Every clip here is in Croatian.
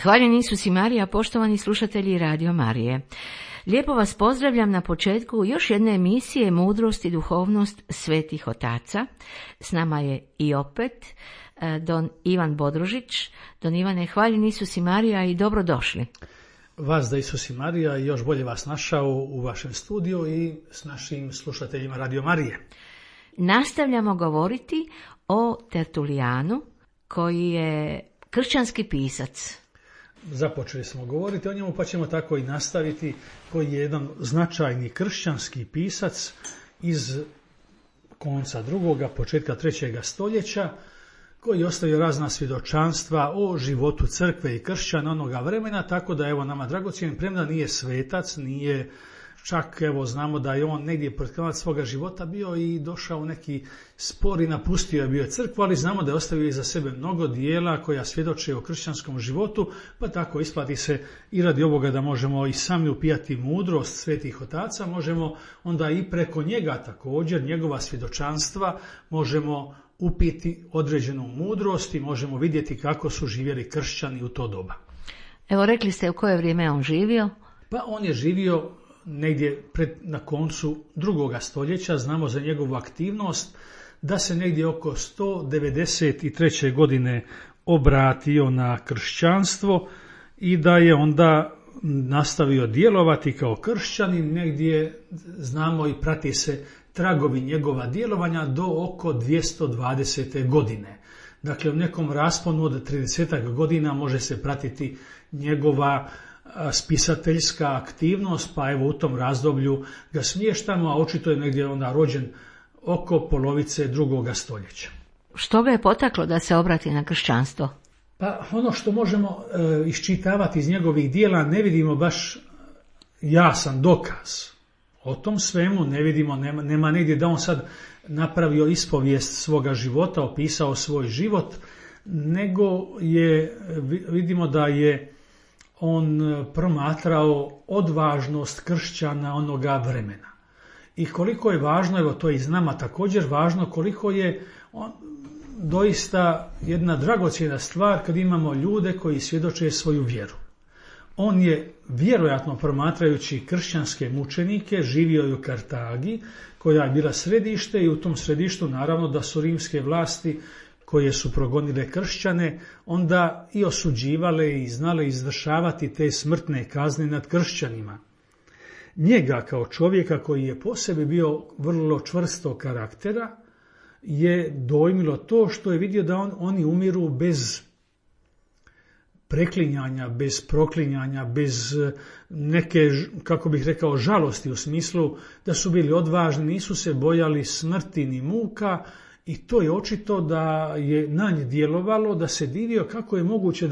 Hvaljen Isus i Marija, poštovani slušatelji Radio Marije. Lijepo vas pozdravljam na početku još jedne emisije Mudrost i duhovnost svetih otaca. S nama je i opet don Ivan Bodružić. Don Ivane, hvaljen Isus i Marija i dobrodošli. Vas da Isus i Marija i još bolje vas našao u vašem studiju i s našim slušateljima Radio Marije. Nastavljamo govoriti o Tertulijanu, koji je kršćanski pisac. Započeli smo govoriti o njemu, pa ćemo tako i nastaviti, koji je jedan značajni kršćanski pisac iz konca drugoga, početka 3. stoljeća, koji je ostavio razna svjedočanstva o životu crkve i kršćana onoga vremena, tako da evo nama dragocjen, premda nije svetac, nije čak, evo znamo da je on negdje pred kraj svoga života bio i došao u neki spor i napustio je bio crkvu, ali znamo da je ostavio iza sebe mnogo dijela koja svjedoče o kršćanskom životu, pa tako isplati se i radi ovoga da možemo i sami upijati mudrost svetih otaca, možemo onda i preko njega također, njegova svjedočanstva, možemo upiti određenu mudrost i možemo vidjeti kako su živjeli kršćani u to doba. Evo, rekli ste u koje vrijeme on živio? Pa on je živio negdje na koncu drugoga stoljeća, znamo za njegovu aktivnost da se negdje oko 193. godine obratio na kršćanstvo i da je onda nastavio djelovati kao kršćanin, negdje znamo i prati se tragovi njegova djelovanja do oko 220. godine. Dakle, u nekom rasponu od 30 godina može se pratiti njegova spisateljska aktivnost, pa evo u tom razdoblju ga smještamo, a očito je negdje onda rođen oko polovice drugoga stoljeća. Što ga je potaklo da se obrati na kršćanstvo? Pa ono što možemo iščitavati iz njegovih dijela, ne vidimo baš jasan dokaz. O tom svemu ne vidimo, nema negdje da on sad napravio ispovijest svoga života, opisao svoj život, nego vidimo da je on promatrao odvažnost kršćana onoga vremena. I koliko je važno, evo to je i z nama također važno, koliko je doista jedna dragocjena stvar kad imamo ljude koji svjedoče svoju vjeru. On je vjerojatno promatrajući kršćanske mučenike živio i u Kartagi, koja je bila središte i u tom središtu naravno da su rimske vlasti koje su progonile kršćane, onda i osuđivale i znale izvršavati te smrtne kazne nad kršćanima. Njega kao čovjeka koji je po sebi bio vrlo čvrstog karaktera je dojmilo to što je vidio da oni umiru bez preklinjanja, bez proklinjanja, bez neke, kako bih rekao, žalosti u smislu da su bili odvažni, nisu se bojali smrti ni muka. I to je očito da je na nje djelovalo, da se divio kako je moguće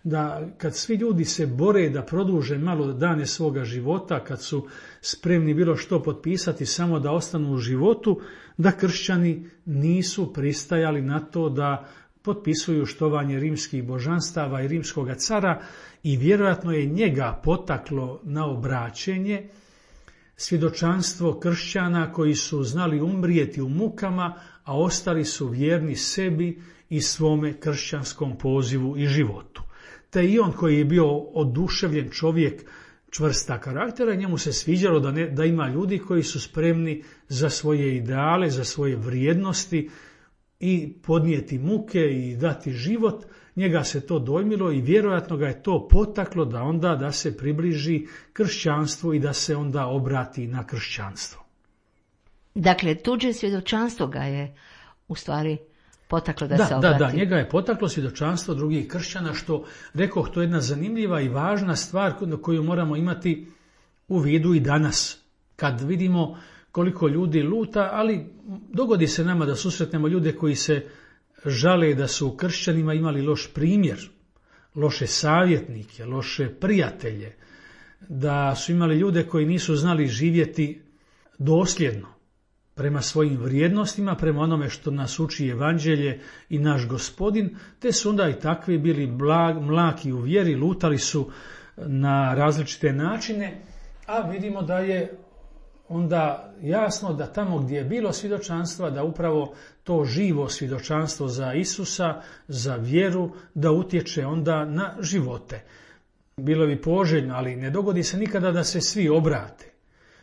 da kad svi ljudi se bore da produže malo dane svoga života, kad su spremni bilo što potpisati samo da ostanu u životu, da kršćani nisu pristajali na to da potpisuju štovanje rimskih božanstava i rimskoga cara i vjerojatno je njega potaklo na obraćenje svjedočanstvo kršćana koji su znali umrijeti u mukama, a ostali su vjerni sebi i svome kršćanskom pozivu i životu. Te i on koji je bio oduševljen čovjek čvrsta karaktera, njemu se sviđalo da ima ljudi koji su spremni za svoje ideale, za svoje vrijednosti i podnijeti muke i dati život. Njega se to dojmilo i vjerojatno ga je to potaklo da se približi kršćanstvu i da se onda obrati na kršćanstvo. Dakle, tuđe svjedočanstvo ga je u stvari potaklo da se obrati. Da, njega je potaklo svjedočanstvo drugih kršćana, što, rekoh, to je jedna zanimljiva i važna stvar koju moramo imati u vidu i danas. Kad vidimo koliko ljudi luta, ali dogodi se nama da susretnemo ljude koji se žale da su u kršćanima imali loš primjer, loše savjetnike, loše prijatelje, da su imali ljude koji nisu znali živjeti dosljedno prema svojim vrijednostima, prema onome što nas uči evanđelje i naš Gospodin, te su onda i takvi bili mlaki u vjeri, lutali su na različite načine, a vidimo da je onda jasno da tamo gdje je bilo svjedočanstva, da upravo to živo svjedočanstvo za Isusa, za vjeru, da utječe onda na živote. Bilo bi poželjno, ali ne dogodi se nikada da se svi obrate.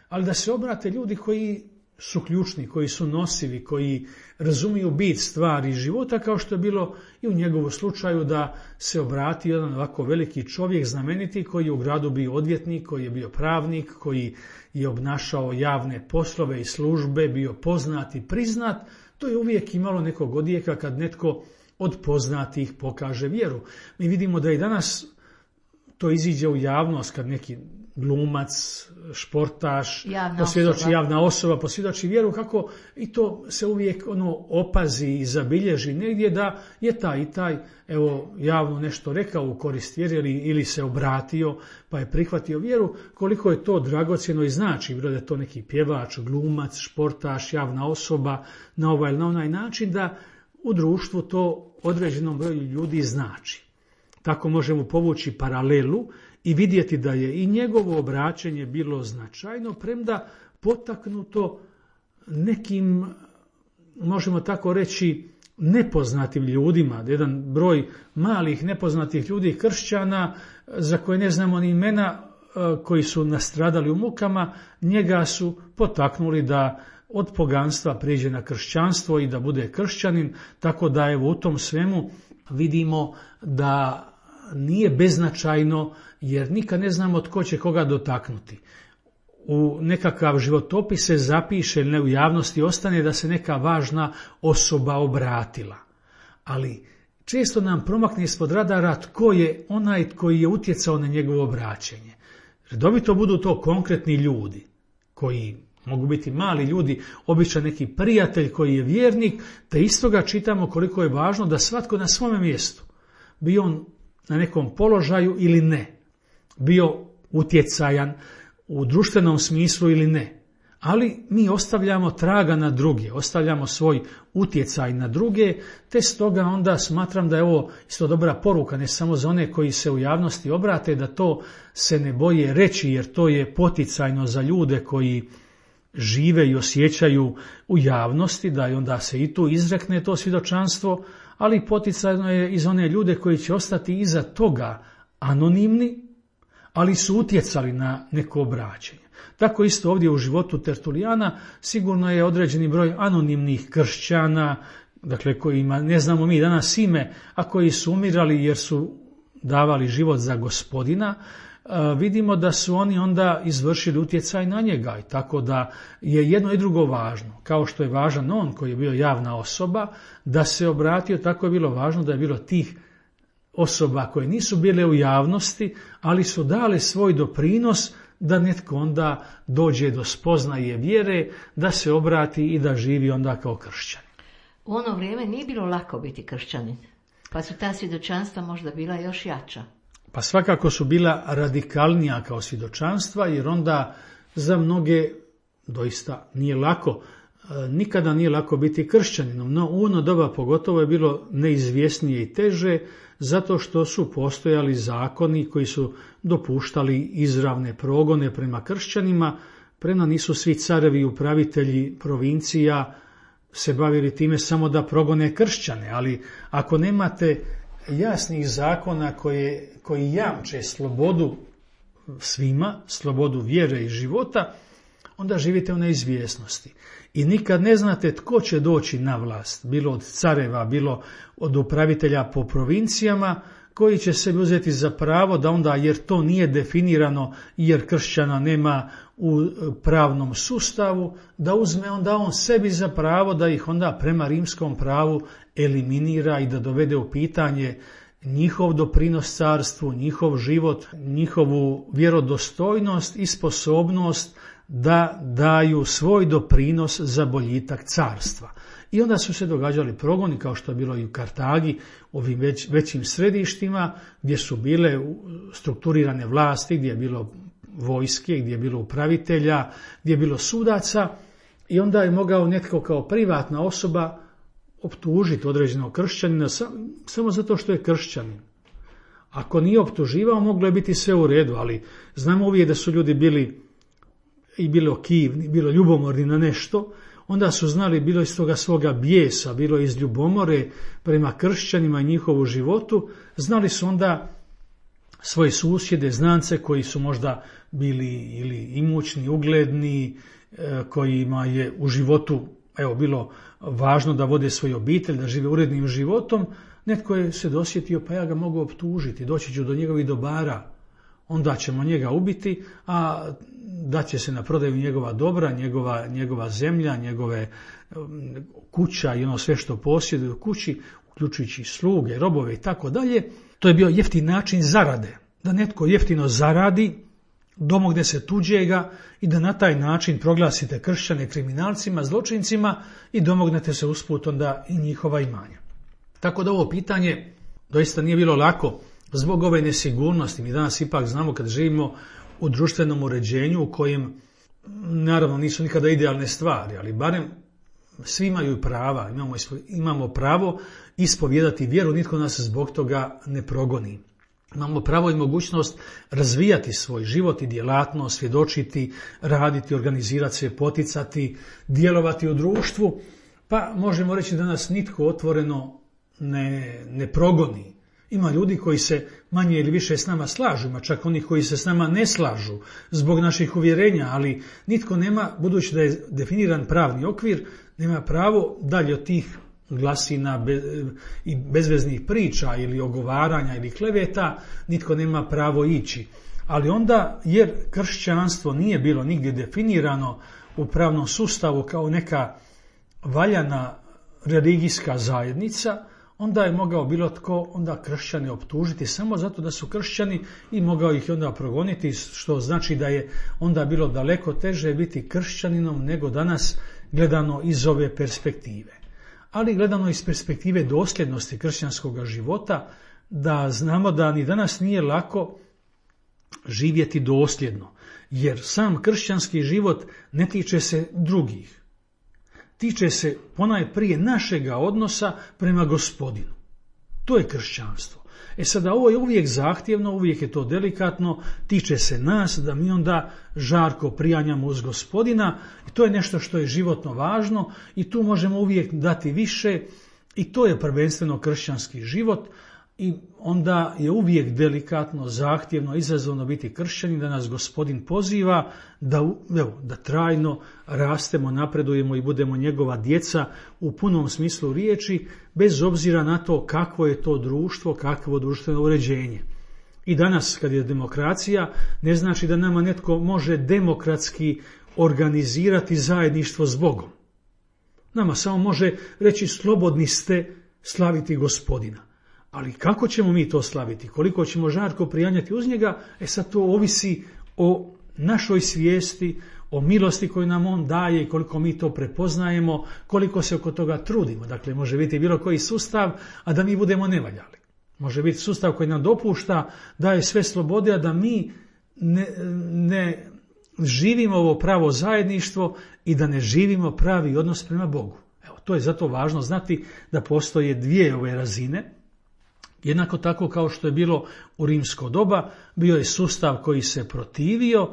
Ali da se obrate ljudi koji su ključni, koji su nosivi, koji razumiju bit stvari života, kao što je bilo i u njegovu slučaju da se obrati jedan ovako veliki čovjek, znameniti, koji je u gradu bio odvjetnik, koji je bio pravnik, koji je obnašao javne poslove i službe, bio poznat i priznat. To je uvijek imalo nekog odjeka kad netko od poznatih pokaže vjeru. Mi vidimo da i danas to iziđe u javnost kad neki glumac, športaš, javna osoba posvjedoči vjeru, kako i to se uvijek opazi i zabilježi negdje da je taj i taj javno nešto rekao u korist vjeri ili se obratio pa je prihvatio vjeru, koliko je to dragocjeno i znači, bilo da je to neki pjevač, glumac, športaš, javna osoba na ovaj ili na onaj način, da u društvu to određenom broju ljudi znači. Tako možemo povući paralelu i vidjeti da je i njegovo obraćanje bilo značajno, premda potaknuto nekim, možemo tako reći, nepoznatim ljudima. Jedan broj malih nepoznatih ljudi, kršćana, za koje ne znamo ni imena, koji su nastradali u mukama, njega su potaknuli da od poganstva prijeđe na kršćanstvo i da bude kršćanin, tako da u tom svemu vidimo da nije beznačajno, jer nikad ne znamo tko će koga dotaknuti. U nekakav životopis se zapiše ili ne u javnosti ostane da se neka važna osoba obratila. Ali često nam promakne ispod radara tko je onaj koji je utjecao na njegovo obraćenje. Redovito budu to konkretni ljudi, koji mogu biti mali ljudi, običan neki prijatelj koji je vjernik, te istoga čitamo koliko je važno da svatko na svome mjestu, bio on na nekom položaju ili ne, bio utjecajan u društvenom smislu ili ne, ali mi ostavljamo traga na druge, ostavljamo svoj utjecaj na druge, te stoga onda smatram da je ovo isto dobra poruka, ne samo za one koji se u javnosti obrate, da to se ne boje reći, jer to je poticajno za ljude koji žive i osjećaju u javnosti, da i onda se i tu izrekne to svjedočanstvo, ali poticajno je i za one ljude koji će ostati iza toga anonimni, ali su utjecali na neko obraćanje. Tako isto ovdje u životu Tertulijana sigurno je određeni broj anonimnih kršćana, dakle kojima ne znamo mi danas ime, a koji su umirali jer su davali život za Gospodina. Vidimo da su oni onda izvršili utjecaj na njega, i tako da je jedno i drugo važno. Kao što je važan on koji je bio javna osoba, da se obratio, tako je bilo važno da je bilo tih osoba koje nisu bile u javnosti, ali su dale svoj doprinos da netko onda dođe do spoznaje vjere, da se obrati i da živi onda kao kršćanin. U ono vrijeme nije bilo lako biti kršćanin, pa su ta svjedočanstva možda bila još jača. Pa svakako su bila radikalnija kao svjedočanstva, jer onda za mnoge doista nije lako. Nikada nije lako biti kršćaninom, no u ono doba pogotovo je bilo neizvjesnije i teže, zato što su postojali zakoni koji su dopuštali izravne progone prema kršćanima, premda nisu svi carevi i upravitelji provincija se bavili time samo da progone kršćane, ali ako nemate jasnih zakona koji jamče slobodu svima, slobodu vjere i života, onda živite u neizvjesnosti. I nikad ne znate tko će doći na vlast, bilo od careva, bilo od upravitelja po provincijama, koji će se uzeti za pravo da onda, jer to nije definirano, jer kršćana nema u pravnom sustavu, da uzme onda on sebi za pravo da ih onda prema rimskom pravu eliminira i da dovede u pitanje njihov doprinos carstvu, njihov život, njihovu vjerodostojnost i sposobnost da daju svoj doprinos za boljitak carstva. I onda su se događali progoni, kao što je bilo i u Kartagi, ovim većim središtima, gdje su bile strukturirane vlasti, gdje je bilo vojske, gdje je bilo upravitelja, gdje je bilo sudaca, i onda je mogao netko kao privatna osoba optužiti određenog kršćanina samo zato što je kršćanin. Ako nije optuživao, moglo je biti sve u redu, ali znamo uvijek da su ljudi bili i bilo kivni, bilo ljubomorni na nešto, onda su znali, bilo iz toga svoga bijesa, bilo iz ljubomore prema kršćanima i njihovu životu, znali su onda svoje susjede, znance koji su možda bili ili imućni, ugledni, kojima je u životu bilo važno da vode svoju obitelj, da žive urednim životom. Netko je se dosjetio, pa ja ga mogu optužiti, doći ću do njegovih dobara, onda ćemo njega ubiti, a daće se na prodaju njegova dobra, njegova zemlja, njegove kuća i ono sve što posjeduje u kući, uključujući sluge, robove i tako dalje. To je bio jeftin način zarade, da netko jeftino zaradi, domogne se tuđega i da na taj način proglasite kršćane kriminalcima, zločincima i domognete se usput onda i njihova imanja. Tako da ovo pitanje doista nije bilo lako zbog ove nesigurnosti. Mi danas ipak znamo kad živimo u društvenom uređenju u kojem naravno nisu nikada idealne stvari, ali barem svi imaju prava, imamo pravo ispovijedati vjeru, nitko nas zbog toga ne progoni. Imamo pravo i mogućnost razvijati svoj život i djelatnost, svjedočiti, raditi, organizirati se, poticati, djelovati u društvu, pa možemo reći da nas nitko otvoreno ne progoni. Ima ljudi koji se manje ili više s nama slažu, ima čak oni koji se s nama ne slažu zbog naših uvjerenja, ali nitko nema, budući da je definiran pravni okvir, nema pravo dalje od tih glasina i bezveznih priča ili ogovaranja ili kleveta, nitko nema pravo ići. Ali onda, jer kršćanstvo nije bilo nigdje definirano u pravnom sustavu kao neka valjana religijska zajednica, onda je mogao bilo tko onda kršćane optužiti samo zato da su kršćani i mogao ih onda progoniti, što znači da je onda bilo daleko teže biti kršćaninom nego danas gledano iz ove perspektive. Ali gledano iz perspektive dosljednosti kršćanskog života, da znamo da ni danas nije lako živjeti dosljedno, jer sam kršćanski život ne tiče se drugih. Tiče se ponajprije našega odnosa prema Gospodinu. To je kršćanstvo. Sada ovo je uvijek zahtjevno, uvijek je to delikatno, tiče se nas da mi onda žarko prijanjamo uz Gospodina i to je nešto što je životno važno i tu možemo uvijek dati više i to je prvenstveno kršćanski život i onda je uvijek delikatno, zahtjevno, izazovno biti kršćanin, da nas Gospodin poziva da trajno rastemo, napredujemo i budemo njegova djeca u punom smislu riječi, bez obzira na to kakvo je to društvo, kakvo društveno uređenje. I danas kad je demokracija, ne znači da nama netko može demokratski organizirati zajedništvo s Bogom. Nama samo može reći slobodni ste slaviti Gospodina. Ali kako ćemo mi to slaviti? Koliko ćemo žarko prijanjati uz njega? Sad to ovisi o našoj svijesti, o milosti koju nam on daje i koliko mi to prepoznajemo, koliko se oko toga trudimo. Dakle, može biti bilo koji sustav, a da mi budemo nevaljali. Može biti sustav koji nam dopušta, daje sve slobode, a da mi ne živimo ovo pravo zajedništvo i da ne živimo pravi odnos prema Bogu. To je zato važno znati da postoje dvije ove razine. Jednako tako kao što je bilo u rimsko doba, bio je sustav koji se protivio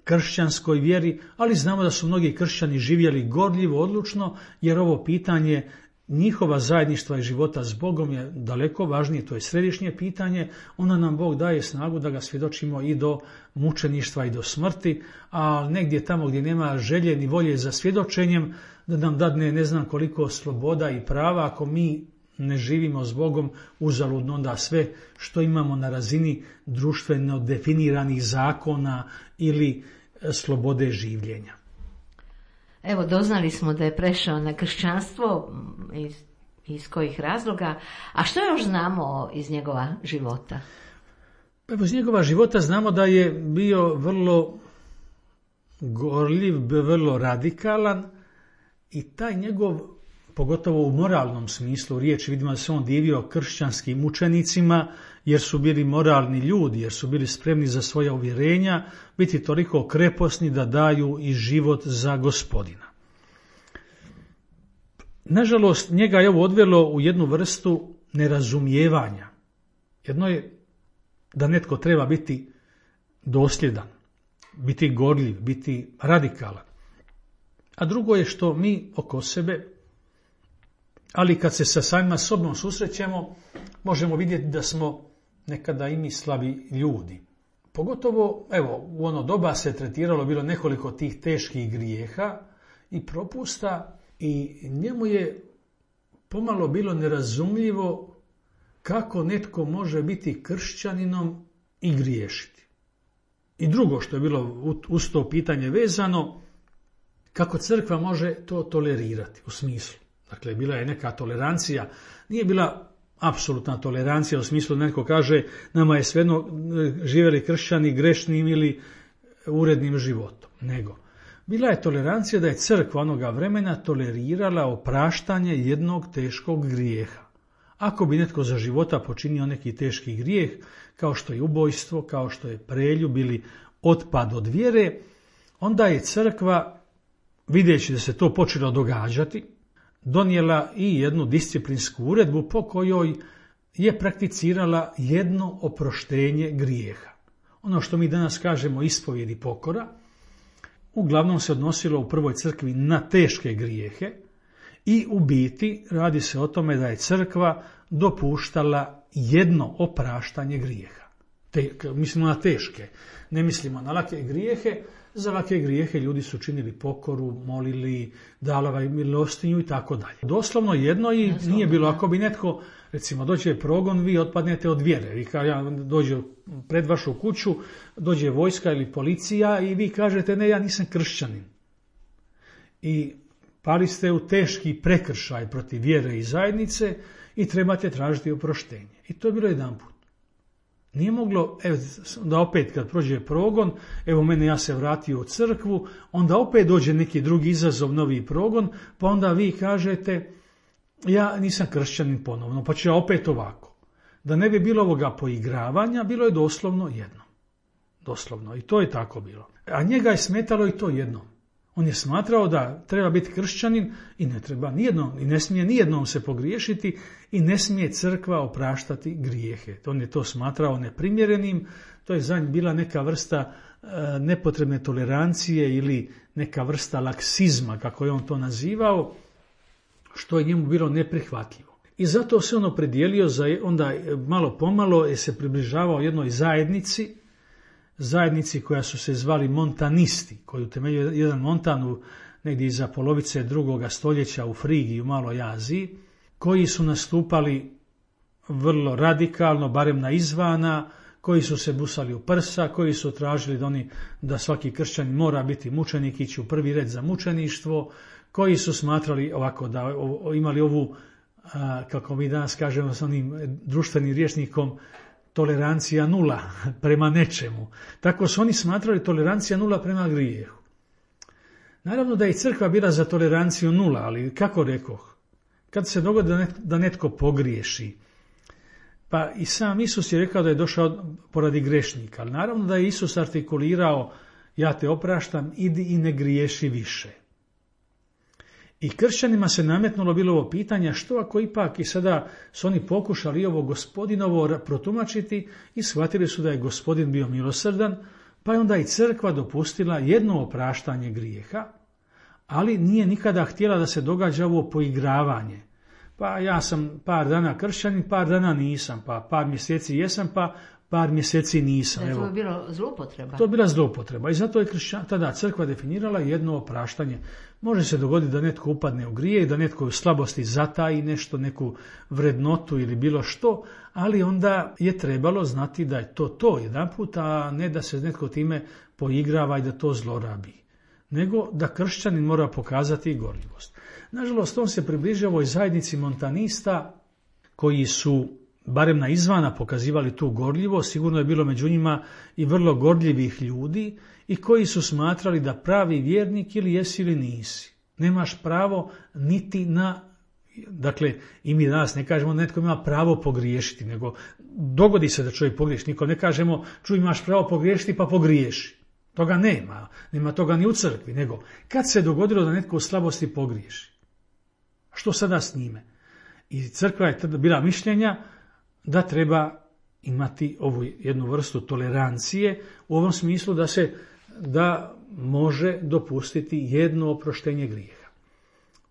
kršćanskoj vjeri, ali znamo da su mnogi kršćani živjeli gorljivo, odlučno, jer ovo pitanje njihova zajedništva i života s Bogom je daleko važnije, to je središnje pitanje, onda nam Bog daje snagu da ga svjedočimo i do mučeništva i do smrti, a negdje tamo gdje nema želje ni volje za svjedočenjem, da nam dadne ne znam koliko sloboda i prava, ako mi ne živimo s Bogom, uzaludno onda sve što imamo na razini društveno definiranih zakona ili slobode življenja. Evo, doznali smo da je prešao na kršćanstvo, iz kojih razloga, a što još znamo iz njegova života? Iz njegova života znamo da je bio vrlo gorljiv, vrlo radikalan i taj njegov, pogotovo u moralnom smislu riječi, vidimo da se on divio kršćanskim učenicima, jer su bili moralni ljudi, jer su bili spremni za svoja uvjerenja, biti toliko kreposni da daju i život za Gospodina. Nažalost, njega je ovo odvelo u jednu vrstu nerazumijevanja. Jedno je da netko treba biti dosljedan, biti gorljiv, biti radikalan. A drugo je što mi oko sebe, ali kad se sa samima sobom susrećemo, možemo vidjeti da smo nekada i mi slabi ljudi. Pogotovo, evo, u ono doba se tretiralo bilo nekoliko tih teških grijeha i propusta i njemu je pomalo bilo nerazumljivo kako netko može biti kršćaninom i griješiti. I drugo što je bilo uz to pitanje vezano, kako crkva može to tolerirati u smislu. Dakle, bila je neka tolerancija, nije bila apsolutna tolerancija u smislu da netko kaže nama je svejedno živjeli kršćani grešnim ili urednim životom, nego bila je tolerancija da je crkva onoga vremena tolerirala opraštanje jednog teškog grijeha. Ako bi netko za života počinio neki teški grijeh, kao što je ubojstvo, kao što je preljub ili otpad od vjere, onda je crkva, vidjeći da se to počelo događati, donijela i jednu disciplinsku uredbu po kojoj je prakticirala jedno oproštenje grijeha. Ono što mi danas kažemo ispovjed i pokora, uglavnom se odnosilo u prvoj crkvi na teške grijehe i u biti radi se o tome da je crkva dopuštala jedno opraštanje grijeha. Mislimo na teške, ne mislimo na lake grijehe. Za lake grijehe ljudi su činili pokoru, molili, davali milostinju i tako dalje. Doslovno jedno i nije bilo, ako bi netko, recimo, dođe progon, vi otpadnete od vjere. Vi dođe pred vašu kuću, dođe vojska ili policija i vi kažete ne, ja nisam kršćanin. I pali ste u teški prekršaj protiv vjere i zajednice i trebate tražiti oproštenje. I to je bilo jedanput. Nije moglo, da opet kad prođe progon, evo mene, ja se vratio u crkvu, onda opet dođe neki drugi izazov, novi progon, pa onda vi kažete ja nisam kršćanin ponovno, pa ću ja opet ovako. Da ne bi bilo ovoga poigravanja, bilo je doslovno jedno. Doslovno, i to je tako bilo. A njega je smetalo i to jedno. On je smatrao da treba biti kršćanin i ne treba nijednom, i ne smije nijednom se pogriješiti i ne smije crkva opraštati grijehe. On je to smatrao neprimjerenim, to je za njih bila neka vrsta nepotrebne tolerancije ili neka vrsta laksizma, kako je on to nazivao, što je njemu bilo neprihvatljivo. I zato se on opredijelio, onda malo pomalo je se približavao jednoj zajednici koja su se zvali montanisti, koji utemeljio jedan montan negdje iza polovice 2. stoljeća u Frigiji, u Maloj Aziji, koji su nastupali vrlo radikalno, barem na izvana, koji su se busali u prsa, koji su tražili da svaki kršćanin mora biti mučenik, ići u prvi red za mučeništvo, koji su smatrali ovako da imali ovu, kako mi danas kažemo s onim društvenim rječnikom, tolerancija nula prema nečemu. Tako su oni smatrali tolerancija nula prema grijehu. Naravno da je i crkva bila za toleranciju nula, ali kako rekoh, kad se dogodi da netko pogriješi, pa i sam Isus je rekao da je došao poradi grešnika, ali naravno da je Isus artikulirao ja te opraštam, idi i ne griješi više. I kršćanima se nametnulo bilo ovo pitanje što ako ipak i sada su oni pokušali ovo gospodinovo protumačiti i shvatili su da je gospodin bio milosrdan, pa je onda i crkva dopustila jedno opraštanje grijeha, ali nije nikada htjela da se događa ovo poigravanje. Pa ja sam par dana kršćanin, par dana nisam, pa par mjeseci jesam, pa par mjeseci nisam. To je bilo zloupotreba. To je bila zloupotreba i zato je tada crkva definirala jedno opraštanje. Može se dogoditi da netko upadne u grije i da netko u slabosti zataji nešto, neku vrednotu ili bilo što, ali onda je trebalo znati da je to jedanput, a ne da se netko time poigrava i da to zlorabi. Nego da kršćanin mora pokazati i gorljivost. Nažalost, on se približio ovoj zajednici montanista koji su barem na izvana pokazivali tu gorljivost, sigurno je bilo među njima i vrlo gorljivih ljudi i koji su smatrali da pravi vjernik ili jesi ili nisi. Nemaš pravo niti na, dakle i mi danas ne kažemo da netko ima pravo pogriješiti, nego dogodi se da čovjek pogriješi. Niko ne kažemo čuj imaš pravo pogriješiti pa pogriješi. Toga nema toga ni u crkvi, nego kad se dogodilo da netko u slabosti pogriješi. Što sada s njime? I crkva je tada bila mišljenja da treba imati ovu jednu vrstu tolerancije u ovom smislu da se da može dopustiti jedno oproštenje grijeha.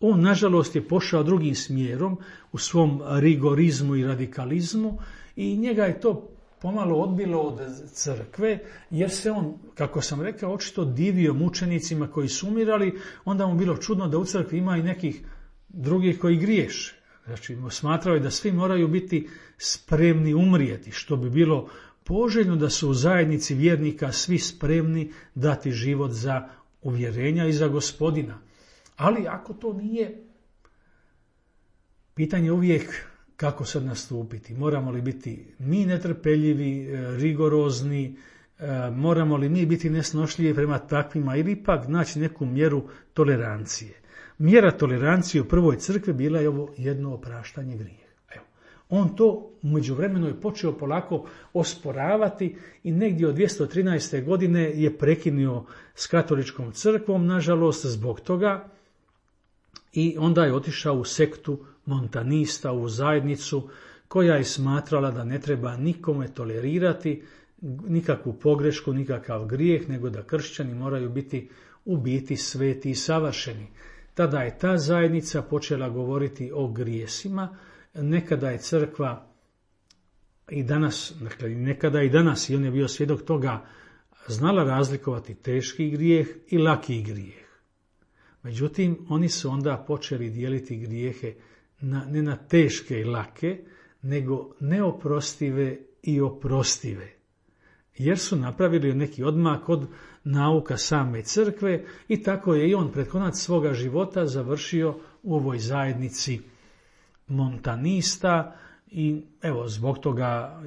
On, nažalost, je pošao drugim smjerom u svom rigorizmu i radikalizmu i njega je to pomalo odbilo od crkve, jer se on, kako sam rekao, očito divio mučenicima koji su umirali, onda mu bilo čudno da u crkvi ima i nekih drugih koji griješe. Znači, smatrao je da svi moraju biti spremni umrijeti, što bi bilo poželjno da su u zajednici vjernika svi spremni dati život za uvjerenja i za Gospodina. Ali ako to nije, pitanje je uvijek kako sad nastupiti. Moramo li biti mi netrpeljivi, rigorozni, moramo li mi biti nesnošljivi prema takvima ili ipak naći neku mjeru tolerancije. Mjera tolerancije u prvoj crkvi bila je ovo jedno opraštanje grijeha. Evo, on to u međuvremenu je počeo polako osporavati i negdje od 213. godine je prekinuo s katoličkom crkvom, nažalost, zbog toga, i onda je otišao u sektu montanista, u zajednicu koja je smatrala da ne treba nikome tolerirati nikakvu pogrešku, nikakav grijeh, nego da kršćani moraju biti u biti sveti i savršeni. Tada je ta zajednica počela govoriti o grijesima. Nekada je crkva i danas, dakle nekada i danas, i on je bio svjedok toga, znala razlikovati teški grijeh i laki grijeh. Međutim, oni su onda počeli dijeliti grijehe ne na teške i lake, nego neoprostive i oprostive. Jer su napravili neki odmak od nauka same crkve i tako je i on pred konac svoga života završio u ovoj zajednici montanista i evo zbog toga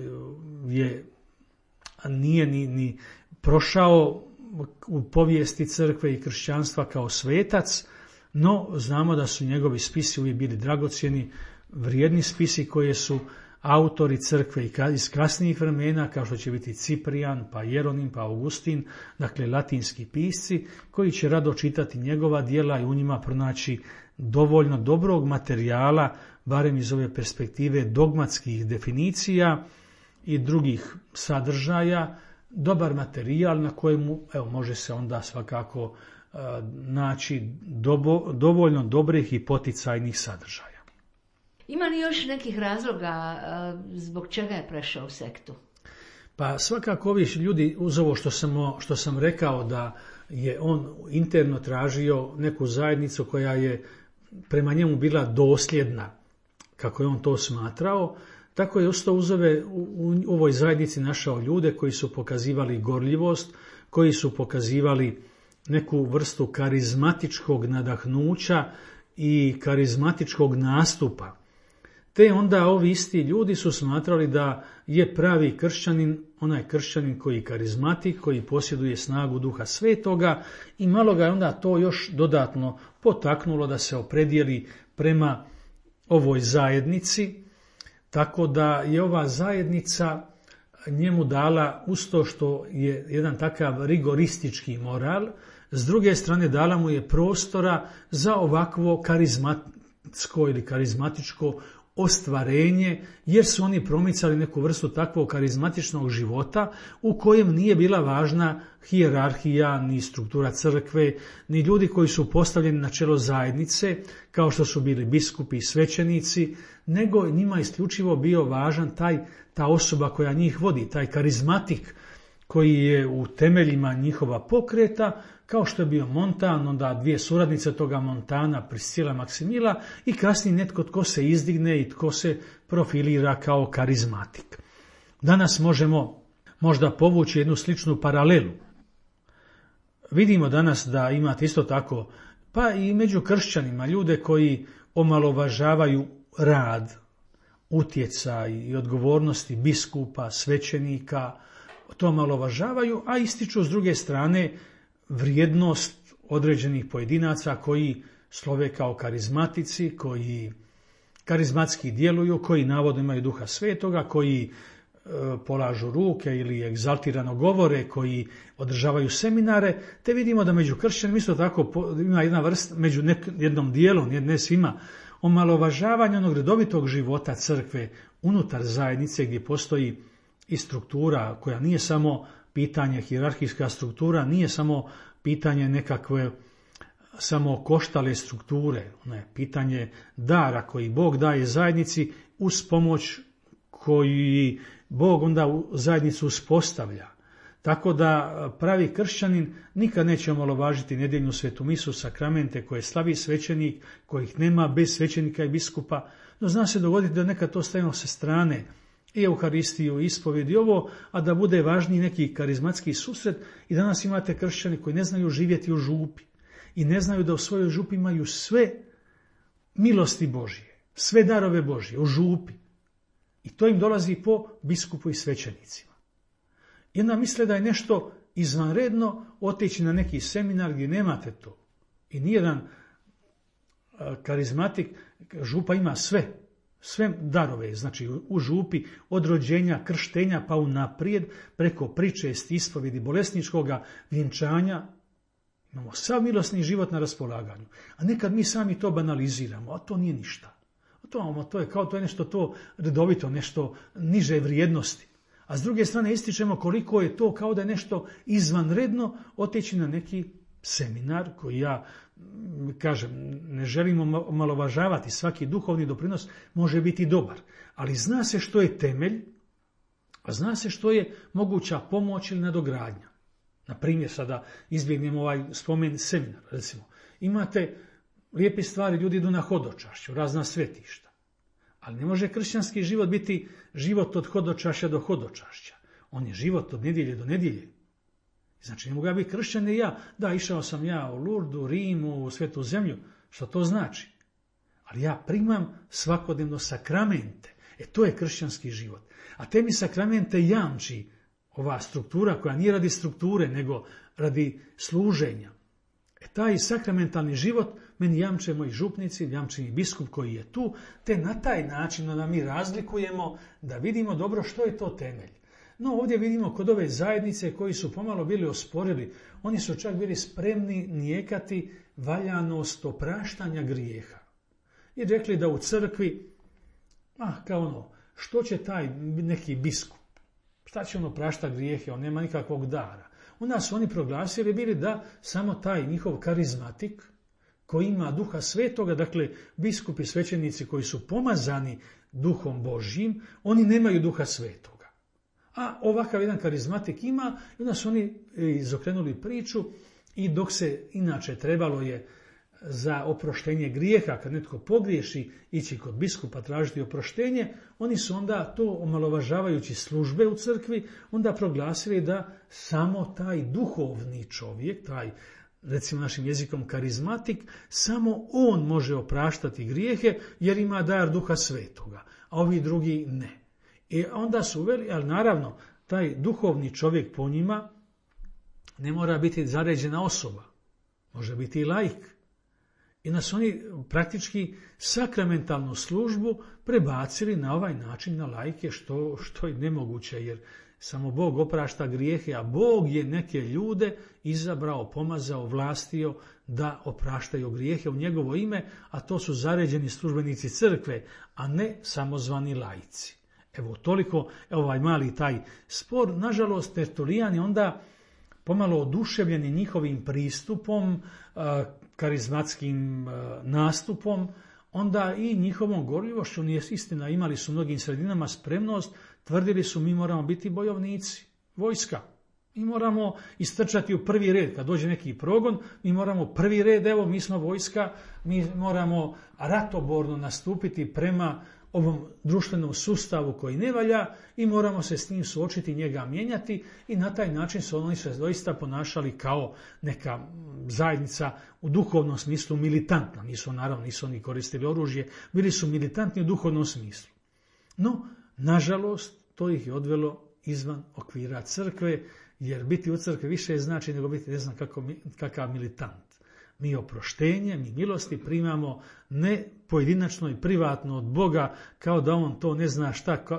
nije ni prošao u povijesti crkve i kršćanstva kao svetac, no znamo da su njegovi spisi uvijek bili dragocjeni, vrijedni spisi koje su autori crkve iz kasnijih vremena, kao što će biti Ciprijan, pa Jeronim, pa Augustin, dakle latinski pisci, koji će rado čitati njegova djela i u njima pronaći dovoljno dobrog materijala, barem iz ove perspektive dogmatskih definicija i drugih sadržaja, dobar materijal na kojemu može se onda svakako naći dovoljno dobrih i poticajnih sadržaja. Ima li još nekih razloga zbog čega je prešao u sektu? Pa svakako ovi ljudi, uz ovo što sam rekao da je on interno tražio neku zajednicu koja je prema njemu bila dosljedna, kako je on to smatrao, tako je ostao u ovoj zajednici našao ljude koji su pokazivali gorljivost, koji su pokazivali neku vrstu karizmatičkog nadahnuća i karizmatičkog nastupa. Te onda ovi isti ljudi su smatrali da je pravi kršćanin onaj kršćanin koji je karizmatik, koji posjeduje snagu Duha Svetoga i malo ga je onda to još dodatno potaknulo da se opredijeli prema ovoj zajednici, tako da je ova zajednica njemu dala, uz to što je jedan takav rigoristički moral, s druge strane dala mu je prostora za ovakvo karizmatsko ili karizmatičko ostvarenje, jer su oni promicali neku vrstu takvog karizmatičnog života u kojem nije bila važna hijerarhija, ni struktura crkve, ni ljudi koji su postavljeni na čelo zajednice, kao što su bili biskupi i svećenici, nego njima isključivo bio važan ta osoba koja njih vodi, taj karizmatik koji je u temeljima njihova pokreta, kao što je bio Montan, onda dvije suradnice toga Montana, Priscila, Maksimila i kasnije netko tko se izdigne i tko se profilira kao karizmatik. Danas možemo možda povući jednu sličnu paralelu. Vidimo danas da imate isto tako, pa i među kršćanima, ljude koji omalovažavaju rad, utjecaj i odgovornosti biskupa, svećenika, to omalovažavaju, a ističu s druge strane vrijednost određenih pojedinaca koji slove kao karizmatici, koji karizmatski djeluju, koji navodno imaju Duha Svetoga, koji polažu ruke ili egzaltirano govore, koji održavaju seminare, te vidimo da među kršćanima isto tako ima jedna vrsta, među jednom dijelom, ne svima, omalovažavanje onog redovitog života crkve unutar zajednice gdje postoji i struktura koja nije samo pitanje hijerarhijska struktura nije samo pitanje nekakve samo koštale strukture, ne, pitanje dara koji Bog daje zajednici uz pomoć koji Bog onda u zajednicu uspostavlja. Tako da pravi kršćanin nikad neće omalovažiti nedjeljnu svetu misu, sakramente koje slavi svećenik, kojih nema bez svećenika i biskupa, no zna se dogoditi da nekad to stavimo sa strane, i Euharistiju, i ispovjed i ovo, a da bude važniji neki karizmatski susret. I danas imate kršćani koji ne znaju živjeti u župi i ne znaju da u svojoj župi imaju sve milosti Božije, sve darove Božije u župi. I to im dolazi po biskupu i svećenicima. I onda misle da je nešto izvanredno otići na neki seminar gdje nemate to. I nijedan karizmatik, župa ima sve darove, znači u župi od rođenja, krštenja pa unaprijed, preko pričesti, ispovjedi, bolesničkoga vjenčanja, imamo sav milosni život na raspolaganju. A nekad mi sami to banaliziramo, a to nije ništa. To je nešto to redovito, nešto niže vrijednosti. A s druge strane ističemo koliko je to kao da je nešto izvanredno otići na neki seminar koji ja kažem, ne želimo omalovažavati, svaki duhovni doprinos može biti dobar, ali zna se što je temelj, a zna se što je moguća pomoć ili nadogradnja. Na primjer, sada izbjegnemo ovaj spomen seminar, recimo. Imate lijepe stvari, ljudi idu na hodočašće, u razna svetišta. Ali ne može kršćanski život biti život od hodočašća do hodočašća. On je život od nedjelje do nedjelje. Znači, ne mogu ja biti kršćan i ja. Da, išao sam ja u Lurdu, Rimu, u Svetu zemlju. Što to znači? Ali ja primam svakodnevno sakramente. To je kršćanski život. A te mi sakramente jamči ova struktura koja nije radi strukture, nego radi služenja. Taj sakramentalni život meni jamče moji župnici, jamče mi biskup koji je tu, te na taj način da mi razlikujemo, da vidimo dobro što je to temelj. No ovdje vidimo kod ove zajednice koji su pomalo bili osporili, oni su čak bili spremni nijekati valjanost opraštanja grijeha. I rekli da u crkvi, što će taj neki biskup, šta će on opraštati grijehe, on nema nikakvog dara. Onda su oni proglasili bili da samo taj njihov karizmatik koji ima duha svetoga, dakle biskupi i svećenici koji su pomazani duhom Božjim, oni nemaju duha svetoga. A ovakav jedan karizmatik ima, i onda su oni izokrenuli priču i dok se inače trebalo je za oproštenje grijeha, kad netko pogriješi, ići kod biskupa tražiti oproštenje, oni su onda to omalovažavajući službe u crkvi, onda proglasili da samo taj duhovni čovjek, taj recimo našim jezikom karizmatik, samo on može opraštati grijehe jer ima dar duha svetoga, a ovi drugi ne. I onda su uveli, ali naravno, taj duhovni čovjek po njima ne mora biti zaređena osoba, može biti i laik. I nas oni praktički sakramentalnu službu prebacili na ovaj način na laike, što je nemoguće, jer samo Bog oprašta grijehe, a Bog je neke ljude izabrao, pomazao, vlastio da opraštaju grijehe u njegovo ime, a to su zaređeni službenici crkve, a ne samozvani laici. Evo toliko, ovaj mali taj spor. Nažalost, Tertulijani onda pomalo oduševljeni njihovim pristupom, karizmatskim nastupom, onda i njihovom gorljivošću, nije istina, imali su u mnogim sredinama spremnost, tvrdili su mi moramo biti bojovnici, vojska. Mi moramo istrčati u prvi red. Kad dođe neki progon, mi moramo prvi red, evo mi smo vojska, mi moramo ratoborno nastupiti prema ovom društvenom sustavu koji ne valja i moramo se s njim suočiti, njega mijenjati, i na taj način su oni se doista ponašali kao neka zajednica u duhovnom smislu militantna. Nisu oni koristili oružje, bili su militantni u duhovnom smislu. No, nažalost, to ih je odvelo izvan okvira crkve, jer biti u crkvi više znači nego biti ne znam kakav militant. Mi oproštenje, mi milosti primamo ne pojedinačno i privatno od Boga, kao da on to ne zna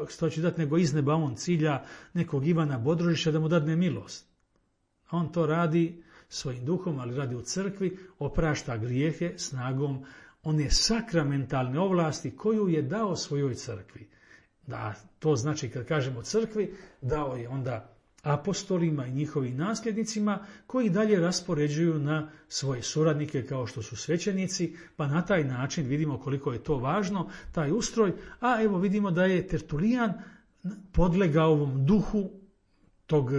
što će dati, nego iz neba on cilja nekog Ivana Bodrožića da mu dadne milost. A on to radi svojim duhom, ali radi u crkvi, oprašta grijehe snagom one sakramentalne ovlasti koju je dao svojoj crkvi. Da, to znači kad kažemo crkvi, dao je onda apostolima i njihovim nasljednicima koji dalje raspoređuju na svoje suradnike kao što su svećenici, pa na taj način vidimo koliko je to važno, taj ustroj, a evo vidimo da je Tertulijan podlegao ovom duhu tog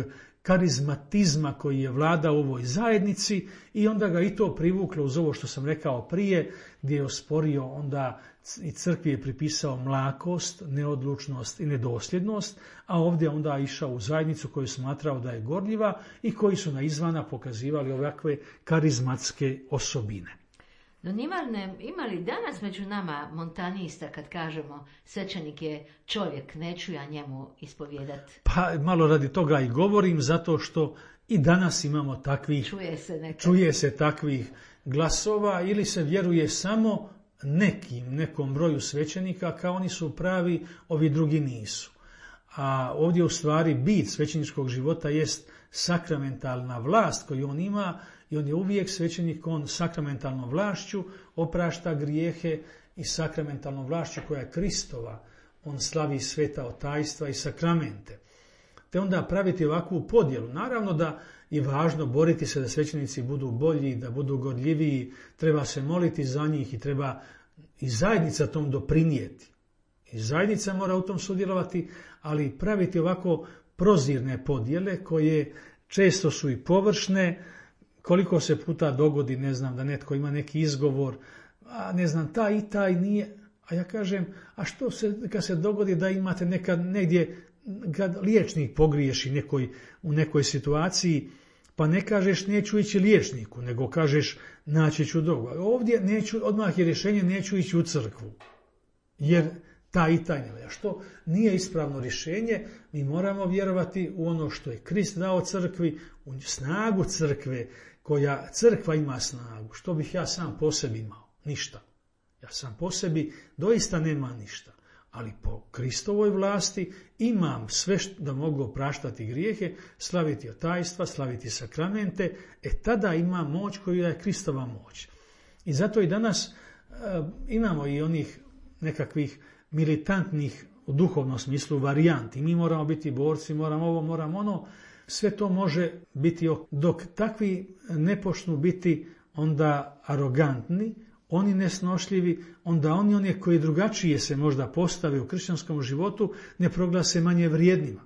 karizmatizma koji je vladao u ovoj zajednici i onda ga i to privuklo uz ovo što sam rekao prije, gdje je osporio onda i crkvi je pripisao mlakost, neodlučnost i nedosljednost, a ovdje onda išao u zajednicu koju smatrao da je gorljiva i koji su na izvana pokazivali ovakve karizmatske osobine. No ima li danas među nama montanista kad kažemo svećenik je čovjek, neću ja njemu ispovijedati? Pa malo radi toga i govorim, zato što i danas imamo takvih, čuje se takvih glasova ili se vjeruje samo nekom broju svećenika kao oni su pravi, ovi drugi nisu. A ovdje u stvari bit svećeničkog života jest sakramentalna vlast koju on ima i on je uvijek svećenik, on sakramentalnom vlašću oprašta grijehe i sakramentalnom vlašću koja je Kristova. On slavi sveta otajstva i sakramente. Te onda praviti ovakvu podjelu. Naravno da je važno boriti se da svećenici budu bolji, da budu gorljiviji, treba se moliti za njih i treba i zajednica tom doprinijeti. I zajednica mora u tom sudjelovati, ali praviti ovako prozirne podjele koje često su i površne, koliko se puta dogodi, ne znam, da netko ima neki izgovor, a ne znam, taj i taj nije, a ja kažem, a što se, kad se dogodi da imate nekad negdje, kad liječnik pogriješi u nekoj situaciji, pa ne kažeš neću ići liječniku, nego kažeš naći ću drugog. Ovdje odmah je rješenje neću ići u crkvu, jer taj i taj ne valja. Što nije ispravno rješenje, mi moramo vjerovati u ono što je Krist dao crkvi, u snagu crkve, koja crkva ima snagu. Što bih ja sam po sebi imao? Ništa. Ja sam po sebi doista nema ništa. Ali po Kristovoj vlasti imam sve da mogu opraštati grijehe, slaviti otajstva, slaviti sakramente, tada imam moć koju je Kristova moć. I zato i danas imamo i onih nekakvih militantnih u duhovnom smislu varijanti. Mi moramo biti borci, moramo ovo, moramo ono. Sve to može biti, dok takvi ne počnu biti onda arogantni, oni nesnošljivi, onda oni koji drugačije se možda postave u kršćanskom životu ne proglase manje vrijednima.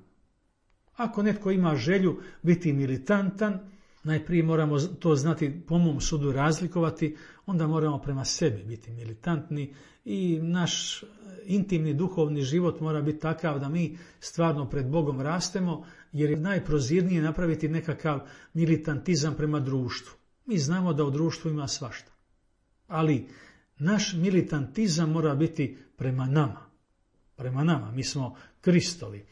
Ako netko ima želju biti militantan, najprije moramo to znati po mom sudu razlikovati, onda moramo prema sebi biti militantni i naš intimni duhovni život mora biti takav da mi stvarno pred Bogom rastemo, jer je najprozirnije napraviti nekakav militantizam prema društvu. Mi znamo da u društvu ima svašta. Ali naš militantizam mora biti prema nama. Prema nama, mi smo Kristovi.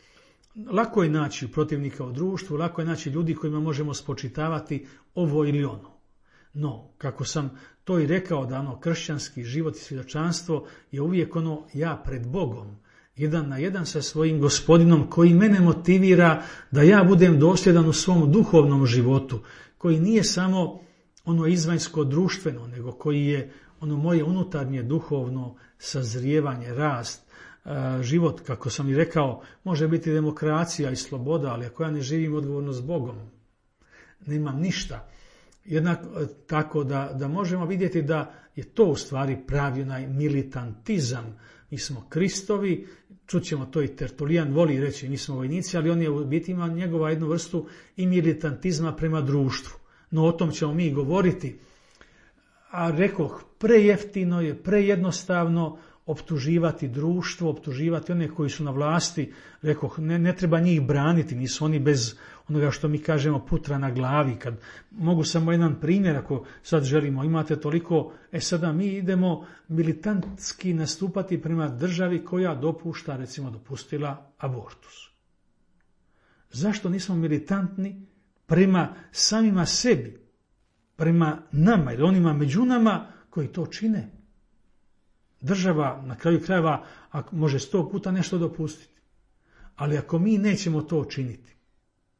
Lako je naći protivnika u društvu, lako je naći ljudi kojima možemo spočitavati ovo ili ono. No, kako sam to i rekao, da kršćanski život i svjedočanstvo je uvijek ja pred Bogom, jedan na jedan sa svojim Gospodinom koji mene motivira da ja budem dosljedan u svom duhovnom životu, koji nije samo izvanjsko društveno, nego koji je moje unutarnje duhovno sazrijevanje, rast, život, kako sam i rekao, može biti demokracija i sloboda, ali ako ja ne živim odgovorno s Bogom, nemam ništa. Jednako tako da možemo vidjeti da je to u stvari pravi onaj militantizam. Mi smo Kristovi, čućemo to i Tertulijan voli reći, mi smo vojnici, ali on je u biti ima njegova jednu vrstu i militantizma prema društvu. No o tom ćemo mi govoriti. A rekoh, prejeftino je, prejednostavno optuživati društvo, optuživati one koji su na vlasti. Rekoh, ne treba njih braniti, nisu oni bez onoga što mi kažemo putra na glavi. Kad mogu samo jedan primjer, ako sad želimo, imate toliko, sada mi idemo militantski nastupati prema državi koja dopušta, recimo dopustila abortus. Zašto nismo militantni prema samima sebi, prema nama ili onima među nama koji to čine? Država na kraju krajeva može 100 puta nešto dopustiti. Ali ako mi nećemo to činiti,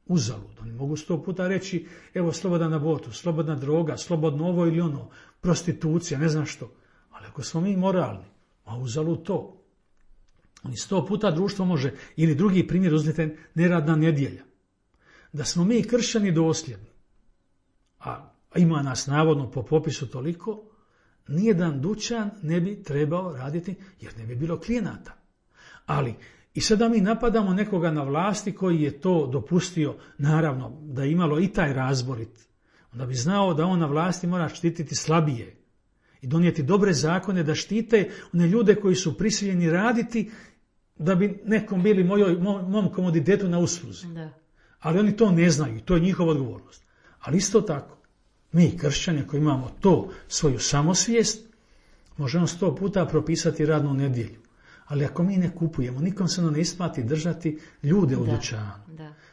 uzalud, oni mogu 100 puta reći, evo slobodan abortus, slobodna droga, slobodno ovo ili ono, prostitucija, ne znam što. Ali ako smo mi moralni, a uzalud to. Oni 100 puta društvo može, ili drugi primjer uzmite, neradna nedjelja. Da smo mi kršćani dosljedni, a ima nas navodno po popisu toliko, nijedan dućan ne bi trebao raditi jer ne bi bilo klijenata. Ali i sada mi napadamo nekoga na vlasti koji je to dopustio, naravno da je imalo i taj razborit, onda bi znao da on na vlasti mora štititi slabije i donijeti dobre zakone da štite one ljude koji su prisiljeni raditi da bi nekom bili mom komoditetu na usluzi. Da. Ali oni to ne znaju i to je njihova odgovornost. Ali isto tako, mi kršćani koji imamo to, svoju samosvijest, možemo 100 puta propisati radnu nedjelju. Ali ako mi ne kupujemo, nikom se ne isplati držati ljude u dućanu.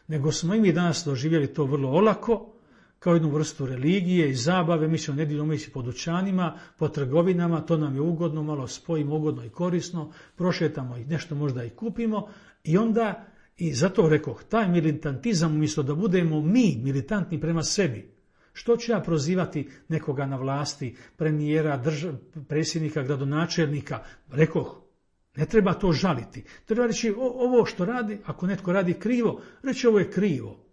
Nego smo i mi danas doživjeli to vrlo olako, kao jednu vrstu religije i zabave. Mi ćemo nedjeljom ići po dućanima, po trgovinama, to nam je ugodno, malo spojimo ugodno i korisno, prošetamo i nešto možda i kupimo i onda, i zato rekoh, taj militantizam umjesto da budemo mi militantni prema sebi, što ću ja prozivati nekoga na vlasti, premijera, predsjednika, gradonačelnika, rekoh, ne treba to žaliti. Treba reći ovo što radi, ako netko radi krivo, reći ovo je krivo.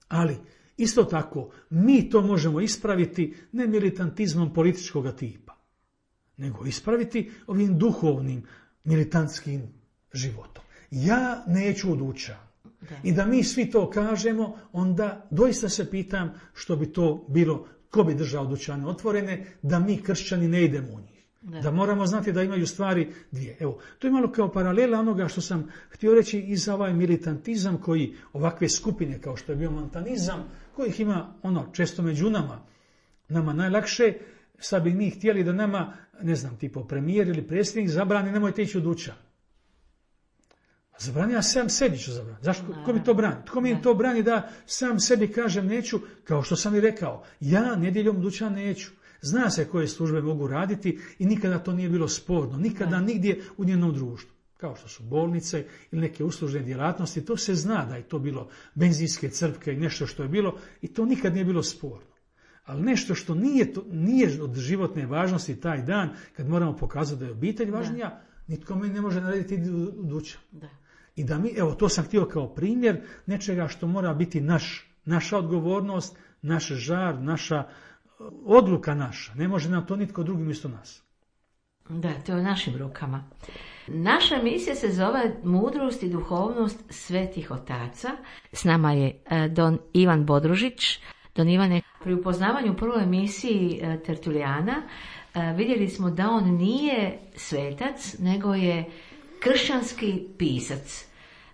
Ali isto tako, mi to možemo ispraviti ne militantizmom političkog tipa, nego ispraviti ovim duhovnim militantskim životom. Ja neću u dućan. I da mi svi to kažemo, onda doista se pitam što bi to bilo, ko bi držao dućane otvorene, da mi kršćani ne idemo u njih. Da moramo znati da imaju stvari dvije. Evo, to je malo kao paralela onoga što sam htio reći i za ovaj militantizam koji ovakve skupine kao što je bio montanizam, kojih ima često među nama najlakše, sad bi mi htjeli da nama, ne znam, tipo premijer ili predsjednik zabrani, nemojte ići u dućan. Zabrani, ja sam sebi ću zabraniti. Zašto? Ko mi to brani? Tko mi to brani da sam sebi kažem neću, kao što sam i rekao, ja nedjeljom dućan neću. Zna se koje službe mogu raditi i nikada to nije bilo sporno, nikada nigdje u njenom društvu. Kao što su bolnice ili neke uslužne djelatnosti, to se zna da je to bilo benzinske crpke i nešto što je bilo i to nikad nije bilo sporno. Ali nešto što nije od životne važnosti taj dan, kad moramo pokazati da je obitelj važnija, nitko mi ne može narediti u dućan. I da mi, evo to sam htio kao primjer nečega što mora biti naša odgovornost, naš žar, naša odluka naša. Ne može nam to nitko drugi umjesto nas. Da, to je u našim rukama. Naša misija se zove Mudrost i duhovnost svetih otaca. S nama je don Ivan Bodružić. Don Ivane, pri upoznavanju prvoj emisiji Tertulijana vidjeli smo da on nije svetac, nego je kršćanski pisac.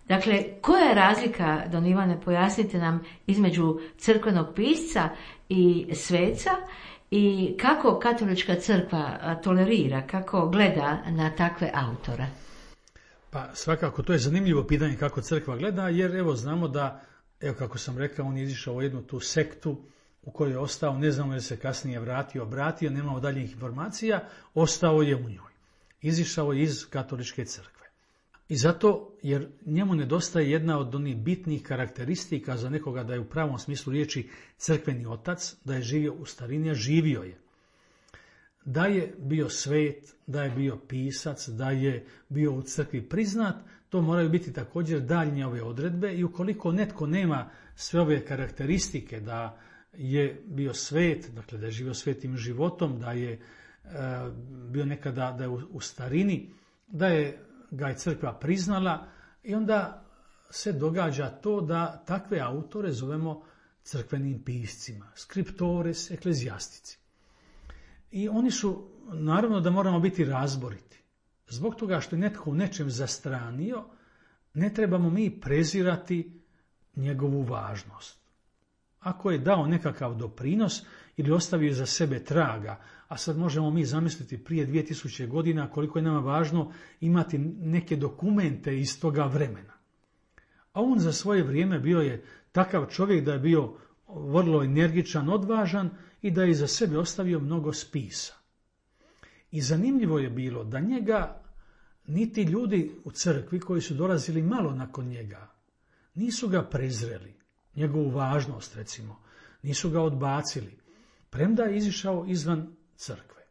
Dakle, koja je razlika, don Ivane, pojasnite nam, između crkvenog pisca i sveca i kako katolička crkva tolerira, kako gleda na takve autore? Pa svakako, to je zanimljivo pitanje kako crkva gleda, jer evo znamo da, evo kako sam rekao, on je izišao u jednu tu sektu u kojoj je ostao, ne znamo je se kasnije obratio, nemamo daljih informacija, ostao je u njoj. Izišao je iz katoličke crkve. I zato, jer njemu nedostaje jedna od onih bitnih karakteristika za nekoga da je u pravom smislu riječi crkveni otac, da je živio u starini, a živio je. Da je bio svet, da je bio pisac, da je bio u crkvi priznat, to moraju biti također daljnje ove odredbe i ukoliko netko nema sve ove karakteristike da je bio svet, dakle da je živio svetim životom, da je bio nekada da je u starini, da je ga je crkva priznala i onda se događa to da takve autore zovemo crkvenim piscima, scriptores ecclesiastici. I oni su, naravno da moramo biti razboriti. Zbog toga što je netko u nečem zastranio, ne trebamo mi prezirati njegovu važnost. Ako je dao nekakav doprinos ili ostavio za sebe traga, a sad možemo mi zamisliti prije 2000 godina koliko je nama važno imati neke dokumente iz toga vremena. A on za svoje vrijeme bio je takav čovjek da je bio vrlo energičan, odvažan i da je iza sebe ostavio mnogo spisa. I zanimljivo je bilo da njega niti ljudi u crkvi koji su dolazili malo nakon njega nisu ga prezreli, njegovu važnost recimo, nisu ga odbacili, premda je izišao izvan crkve.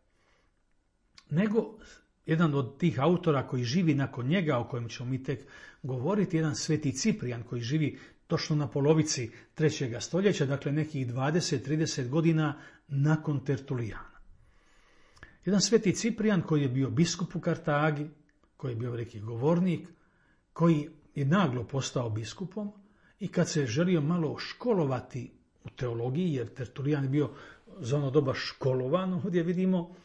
Nego jedan od tih autora koji živi nakon njega, o kojem ćemo mi tek govoriti, jedan sveti Ciprijan koji živi točno na polovici 3. stoljeća, dakle nekih 20-30 godina nakon Tertulijana. Jedan sveti Ciprijan koji je bio biskup u Kartagi, koji je bio veliki govornik, koji je naglo postao biskupom i kad se želio malo školovati u teologiji, jer Tertulijan je bio za ono doba školovan, ovdje vidimo,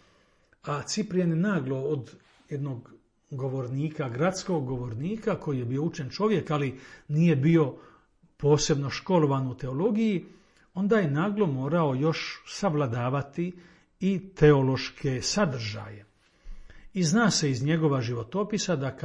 a Ciprijan je naglo od jednog govornika, gradskog govornika, koji je bio učen čovjek, ali nije bio posebno školovan u teologiji, onda je naglo morao još savladavati i teološke sadržaje. I zna se iz njegova životopisa da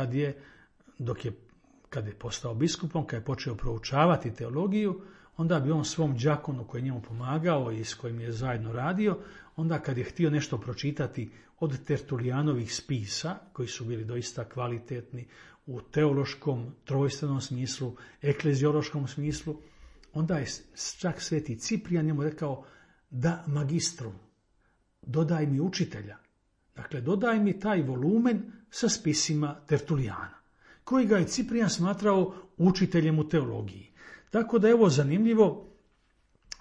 kad je postao biskupom, kad je počeo proučavati teologiju, onda bi on svom đakonu koji je njemu pomagao i s kojim je zajedno radio, onda kad je htio nešto pročitati od Tertulijanovih spisa, koji su bili doista kvalitetni u teološkom, trojstvenom smislu, ekleziološkom smislu, onda je čak sveti Ciprijan njemu rekao da magistrum, dodaj mi učitelja. Dakle, dodaj mi taj volumen sa spisima Tertulijana, koji ga je Ciprijan smatrao učiteljem u teologiji. Tako da je ovo zanimljivo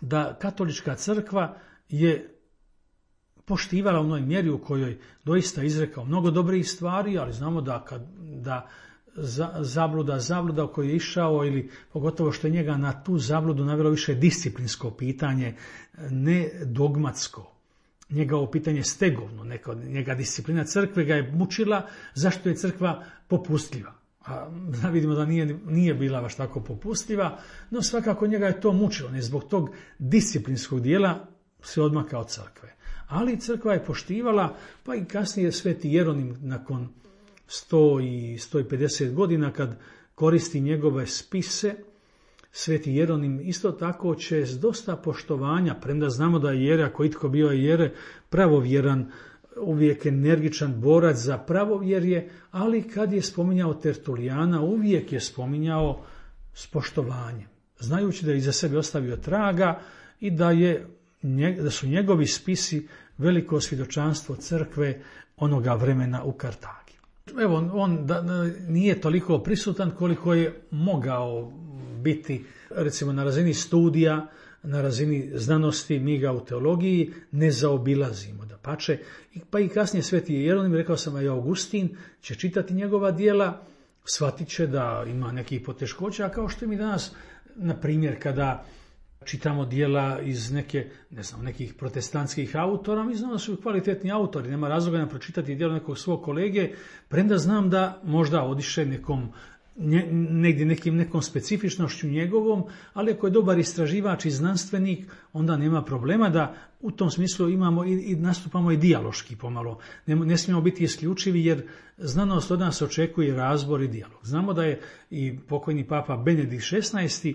da katolička crkva je poštivala u onoj mjeri u kojoj doista izrekao mnogo dobrih stvari, ali znamo da zabluda u koju je išao, ili pogotovo što je njega na tu zabludu navelo više disciplinsko pitanje, ne dogmatsko. Njega ovo pitanje stegovno, njega disciplina crkve ga je mučila, zašto je crkva popustljiva. A vidimo da nije bila baš tako popustljiva, no svakako njega je to mučilo, ne zbog tog disciplinskog dijela se odmaka od crkve. Ali crkva je poštivala, pa i kasnije sveti Jeronim nakon 100 i 150 godina kad koristi njegove spise, sveti Jeronim isto tako će s dosta poštovanja, premda znamo da je Jere, ako itko bio je Jere, pravovjeran, uvijek energičan borac za pravovjerje, ali kad je spominjao Tertulijana, uvijek je spominjao s poštovanjem, znajući da je iza sebe ostavio traga i da su njegovi spisi veliko svjedočanstvo crkve onoga vremena u Kartagi. Evo, on nije toliko prisutan koliko je mogao biti, recimo na razini studija, na razini znanosti, mi ga u teologiji ne zaobilazimo, dapače. Pa i kasnije sveti Jeronim, rekao sam i Augustin, će čitati njegova djela, shvatit će da ima nekih poteškoća, kao što mi danas, na primjer, kada čitamo djela iz nekih protestantskih autora, mi znamo da su kvalitetni autori, nema razloga nam pročitati djelo nekog svog kolege, premda znam da možda odiše nekom specifičnošću njegovom, ali ako je dobar istraživač i znanstvenik, onda nema problema da u tom smislu imamo i nastupamo i dijaloški pomalo. Ne smijemo biti isključivi jer znanost od nas očekuje razbor i dijalog. Znamo da je i pokojni papa Benedikt XVI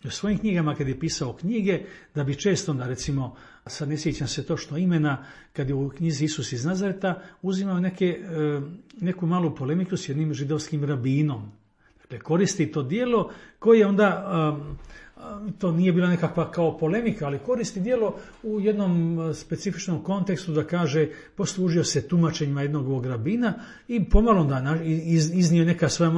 u svojim knjigama kad je pisao knjige, da bi često onda, recimo, sad ne sjećam se točno imena, kad je u knjizi Isus iz Nazareta uzimao neku malu polemiku s jednim židovskim rabinom. Dakle, koristi to djelo koje onda, to nije bila nekakva kao polemika, ali koristi djelo u jednom specifičnom kontekstu da kaže, poslužio se tumačenjima jednog ovog rabina i pomalo onda iznio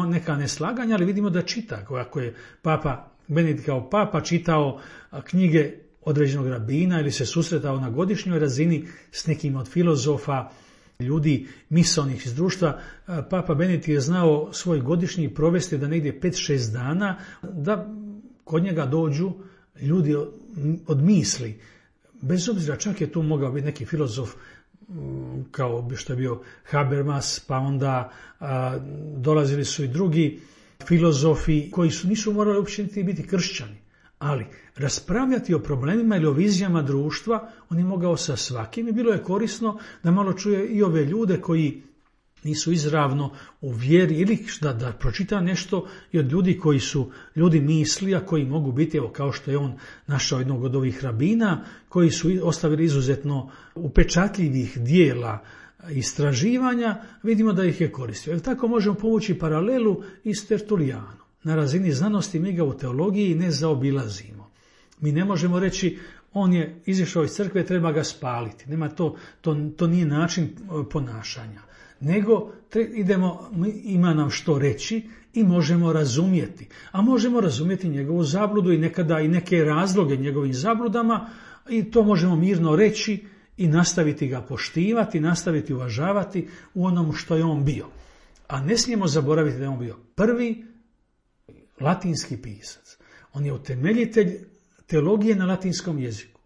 neka neslaganja, ali vidimo da čita, ako je papa Benedikt kao papa čitao knjige određenog rabina ili se susretao na godišnjoj razini s nekim od filozofa, ljudi misaonih iz društva, papa Benedikt je znao svoj godišnji provesti da negdje 5-6 dana, da kod njega dođu ljudi od misli. Bez obzira, čak je tu mogao biti neki filozof kao što je bio Habermas, pa onda dolazili su i drugi filozofi koji nisu morali uopće biti kršćani, ali raspravljati o problemima ili o vizijama društva on je mogao sa svakim i bilo je korisno da malo čuje i ove ljude koji nisu izravno u vjeri ili da pročita nešto i od ljudi koji su ljudi misli, a koji mogu biti, evo kao što je on našao jednog od ovih rabina, koji su ostavili izuzetno upečatljivih dijela istraživanja, vidimo da ih je koristio. Tako možemo povući paralelu i s Tertulijanom. Na razini znanosti mi ga u teologiji ne zaobilazimo. Mi ne možemo reći on je izišao iz crkve, treba ga spaliti. To nije način ponašanja. Nego ima nam što reći i možemo razumjeti. A možemo razumjeti njegovu zabludu i nekada i neke razloge njegovim zabludama i to možemo mirno reći i nastaviti ga poštivati, nastaviti uvažavati u onom što je on bio. A ne smijemo zaboraviti da je on bio prvi latinski pisac. On je utemeljitelj teologije na latinskom jeziku.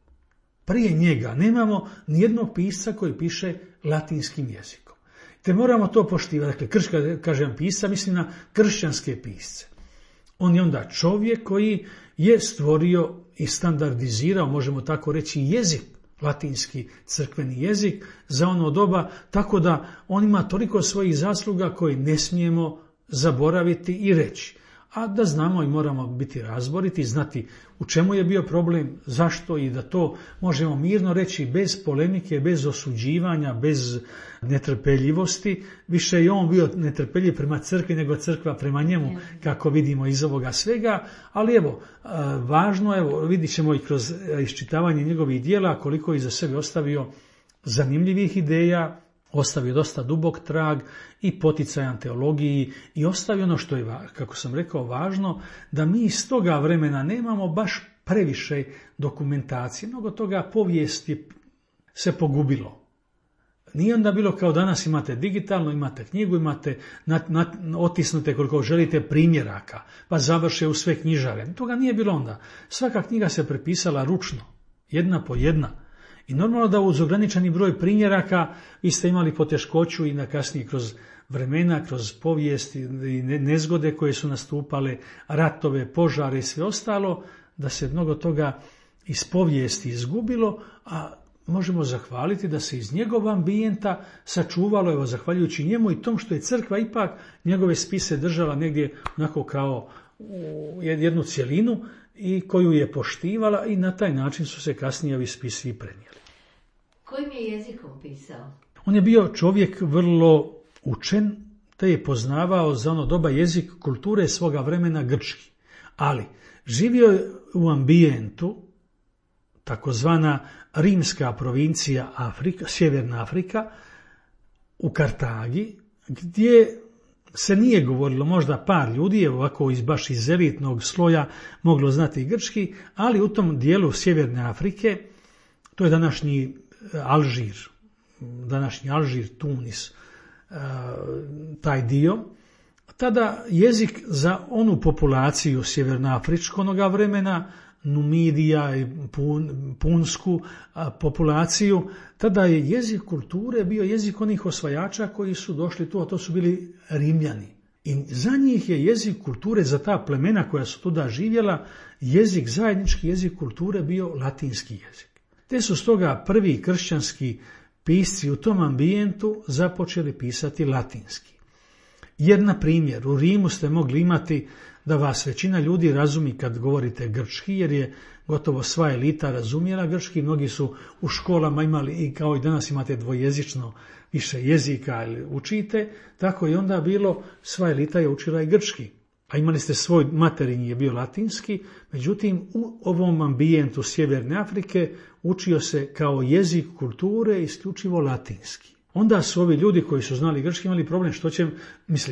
Prije njega nemamo nijednog pisca koji piše latinskim jezikom. Te moramo to poštivati. Dakle, kažem pisca, mislim na kršćanske pisce. On je onda čovjek koji je stvorio i standardizirao, možemo tako reći, jezik, latinski crkveni jezik za ono doba, tako da on ima toliko svojih zasluga koje ne smijemo zaboraviti i reći. A da znamo i moramo biti razboriti, znati u čemu je bio problem, zašto i da to možemo mirno reći bez polemike, bez osuđivanja, bez netrpeljivosti. Više je on bio netrpeljiv prema crkvi nego crkva prema njemu, kako vidimo iz ovoga svega. Ali evo, važno, vidit ćemo i kroz iščitavanje njegovih dijela koliko je iza sebe ostavio zanimljivih ideja, ostavio dosta dubok trag i poticajan teologiji i ostavio ono što je, kako sam rekao, važno, da mi iz toga vremena nemamo baš previše dokumentacije. Mnogo toga povijesti se pogubilo. Nije onda bilo kao danas imate digitalno, imate knjigu, imate otisnute koliko želite primjeraka, pa završe u sve knjižare. Toga nije bilo onda. Svaka knjiga se prepisala ručno, jedna po jedna. I normalno da uz ograničeni broj primjeraka vi ste imali poteškoću i na kasnije kroz vremena, kroz povijesti i nezgode koje su nastupale, ratove, požare i sve ostalo, da se mnogo toga iz povijesti izgubilo, a možemo zahvaliti da se iz njegova ambijenta sačuvalo, evo, zahvaljujući njemu i tom što je crkva ipak njegove spise držala negdje onako kao u jednu cjelinu i koju je poštivala i na taj način su se kasnije ovi spisi prenijeli. Kojim je jezikom pisao? On je bio čovjek vrlo učen, te je poznavao za ono doba jezik kulture svoga vremena grčki. Ali živio je u ambijentu, takozvana rimska provincija Afrika, Sjeverna Afrika, u Kartagi, gdje se nije govorilo, možda par ljudi je ovako baš iz elitnog sloja moglo znati grčki, ali u tom dijelu Sjeverne Afrike, to je današnji Alžir, Tunis, taj dio, tada jezik za onu populaciju sjevernoafričkog onoga vremena, Numidija i punsku populaciju, tada je jezik kulture bio jezik onih osvajača koji su došli tu, a to su bili Rimljani. I za njih je jezik kulture, za ta plemena koja su tuda živjela, zajednički jezik kulture bio latinski jezik. Te su stoga prvi kršćanski pisci u tom ambijentu započeli pisati latinski. Jer, na primjer, u Rimu ste mogli imati da vas većina ljudi razumi kad govorite grčki, jer je gotovo sva elita razumjela grčki. Mnogi su u školama imali, i kao i danas imate dvojezično više jezika ili učite, tako i onda bilo, sva elita je učila i grčki. A imali ste svoj materinji je bio latinski, međutim u ovom ambijentu Sjeverne Afrike učio se kao jezik kulture isključivo latinski. Onda su ovi ljudi koji su znali grčki imali problem što će,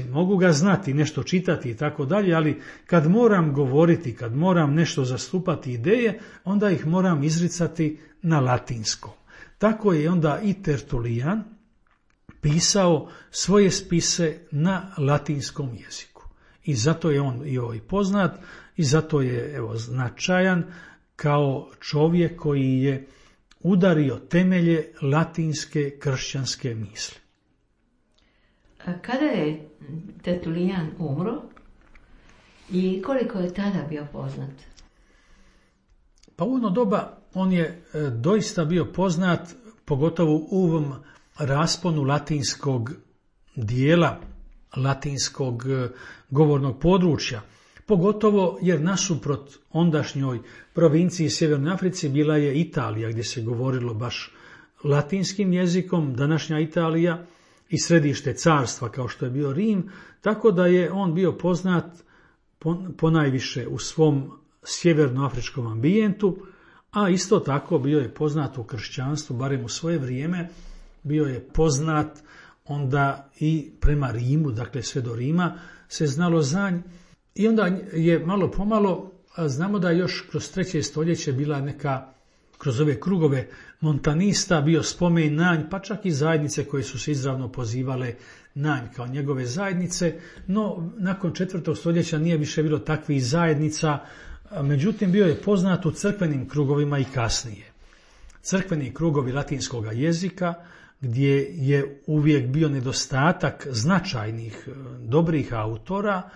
mogu ga znati, nešto čitati i tako dalje, ali kad moram govoriti, kad moram nešto zastupati ideje, onda ih moram izricati na latinskom. Tako je onda i Tertulijan pisao svoje spise na latinskom jeziku. I zato je on i poznat i zato je značajan kao čovjek koji je udario temelje latinske kršćanske misli. A kada je Tertulijan umro i koliko je tada bio poznat? Pa u ono doba on je doista bio poznat, pogotovo u ovom rasponu latinskog dijela, latinskog govornog područja. Pogotovo jer nasuprot ondašnjoj provinciji Sjevernoj Africi bila je Italija gdje se govorilo baš latinskim jezikom, današnja Italija i središte carstva kao što je bio Rim, tako da je on bio poznat ponajviše u svom sjevernoafričkom ambijentu, a isto tako bio je poznat u kršćanstvu, barem u svoje vrijeme, bio je poznat onda i prema Rimu, dakle sve do Rima, se znalo za nj. I onda je malo pomalo, znamo da još kroz 3. stoljeće bila neka, kroz ove krugove montanista, bio spomen na nj, pa čak i zajednice koje su se izravno pozivale na nj kao njegove zajednice, no nakon 4. stoljeća nije više bilo takvih zajednica, međutim bio je poznat u crkvenim krugovima i kasnije. Crkveni krugovi latinskog jezika, gdje je uvijek bio nedostatak značajnih, dobrih autora,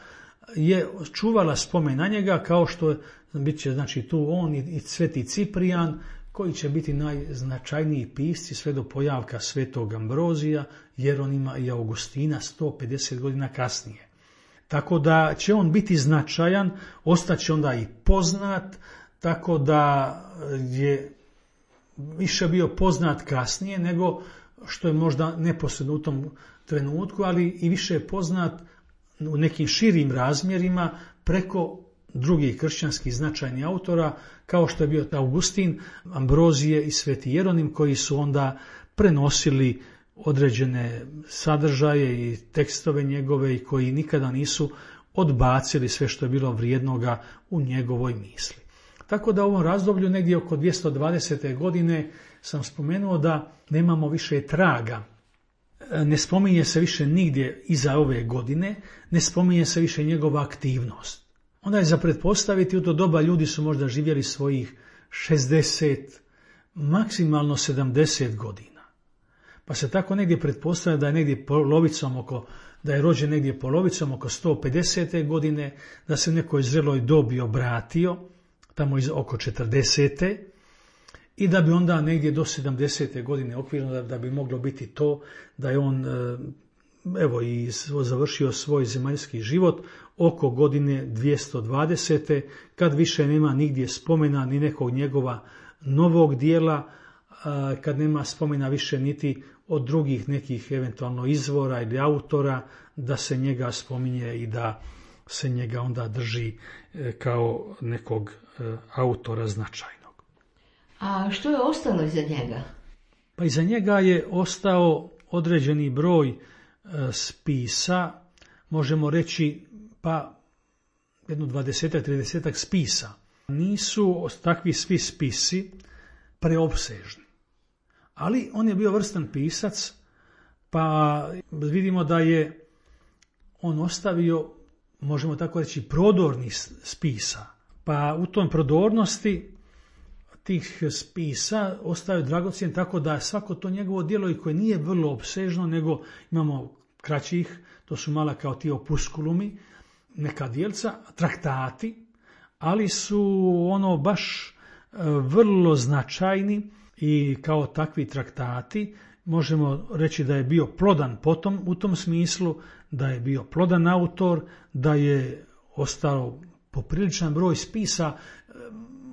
je čuvala spomen na njega, kao što bit će znači tu on i Sveti Ciprijan, koji će biti najznačajniji pisci sve do pojavka Svetog Ambrozija, Jeronima i Augustina 150 godina kasnije. Tako da će on biti značajan, ostaće onda i poznat, tako da je više bio poznat kasnije nego što je možda neposredno u tom trenutku, ali i više je poznat u nekim širim razmjerima preko drugih kršćanskih značajnih autora, kao što je bio Augustin, Ambrozije i Sveti Jeronim, koji su onda prenosili određene sadržaje i tekstove njegove i koji nikada nisu odbacili sve što je bilo vrijednoga u njegovoj misli. Tako da u ovom razdoblju, negdje oko 220. godine, sam spomenuo da nemamo više traga. Ne spominje se više nigdje iza ove godine, ne spominje se više njegova aktivnost. Onda je za pretpostaviti, u to doba ljudi su možda živjeli svojih 60, maksimalno 70 godina. Pa se tako negdje pretpostavlja da je negdje polovicom da je rođen negdje polovicom oko 150. godine, da se u nekoj zreloj dobi obratio, tamo oko 40. I da bi onda negdje do 70. godine okvirno da bi moglo biti to da je on i završio svoj zemaljski život oko godine 220. kad više nema nigdje spomena ni nekog njegova novog dijela, kad nema spomena više niti od drugih nekih eventualno izvora ili autora, da se njega spominje i da se njega onda drži kao nekog autora značajnog. A što je ostalo iza njega? Pa iza njega je ostao određeni broj spisa, možemo reći pa jedno 20-30 spisa. Nisu takvi svi spisi preopsežni, ali on je bio vrstan pisac, pa vidimo da je on ostavio, možemo tako reći, prodornih spisa. Pa u tom prodornosti tih spisa ostaju dragocjen, tako da svako to njegovo djelo i koje nije vrlo opsežno, nego imamo kraćih, to su mala kao ti opuskulumi, neka djelca, traktati, ali su ono baš vrlo značajni i kao takvi traktati možemo reći da je bio plodan potom u tom smislu, da je bio plodan autor, da je ostao popriličan broj spisa.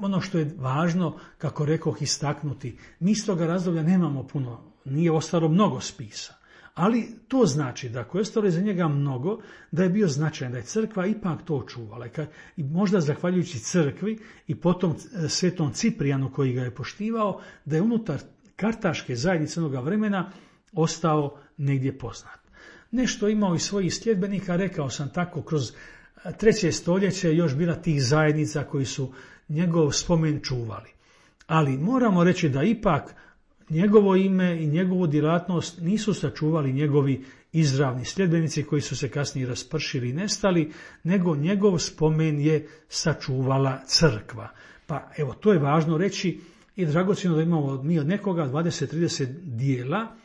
Ono što je važno, kako rekoh, istaknuti, mi iz toga razdoblja nemamo puno, nije ostalo mnogo spisa, ali to znači da ako je ostalo iza njega mnogo, da je bio značajan, da je crkva ipak to čuvala. I možda zahvaljujući crkvi i potom svetom Ciprijanu koji ga je poštivao, da je unutar kartaške zajednice onoga vremena ostao negdje poznat. Nešto imao i svojih sljedbenika, rekao sam tako, kroz 3. stoljeće još bila tih zajednica koji su njegov spomen čuvali. Ali moramo reći da ipak njegovo ime i njegovu djelatnost nisu sačuvali njegovi izravni sljedbenici koji su se kasnije raspršili i nestali, nego njegov spomen je sačuvala crkva. Pa evo, to je važno reći i dragocjeno da imamo mi od nekoga 20-30 dijela,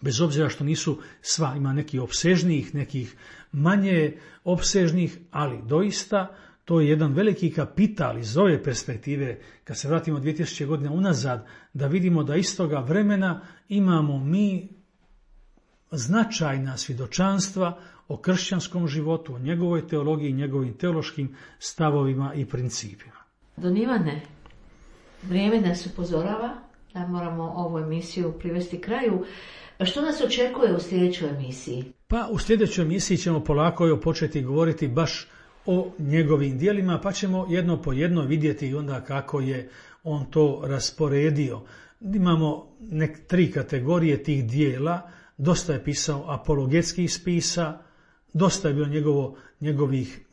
bez obzira što nisu sva, ima nekih opsežnijih, nekih manje opsežnih, ali doista to je jedan veliki kapital iz ove perspektive, kad se vratimo 2000 godina unazad, da vidimo da iz toga vremena imamo mi značajna svjedočanstva o kršćanskom životu, o njegovoj teologiji, njegovim teološkim stavovima i principima. Don Ivane, vrijeme nas upozorava da moramo ovu emisiju privesti kraju. Što nas očekuje u sljedećoj emisiji? Pa u sljedećoj emisiji ćemo polako početi govoriti baš o njegovim djelima, pa ćemo jedno po jedno vidjeti onda kako je on to rasporedio. Imamo 3 kategorije tih dijela, dosta je pisao apologetskih spisa, dosta je bilo njegovih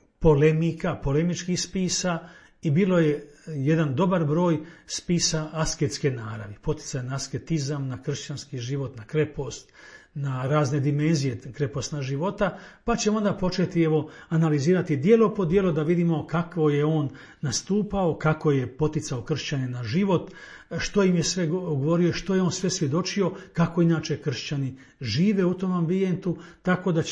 polemičkih spisa i bilo je jedan dobar broj spisa asketske naravi, poticaj na asketizam, na kršćanski život, na krepost, na razne dimenzije krepostna života, pa ćemo onda početi analizirati djelo po djelo da vidimo kako je on nastupao, kako je poticao kršćane na život, što im je sve govorio, što je on sve svjedočio, kako inače kršćani žive u tom ambijentu, tako da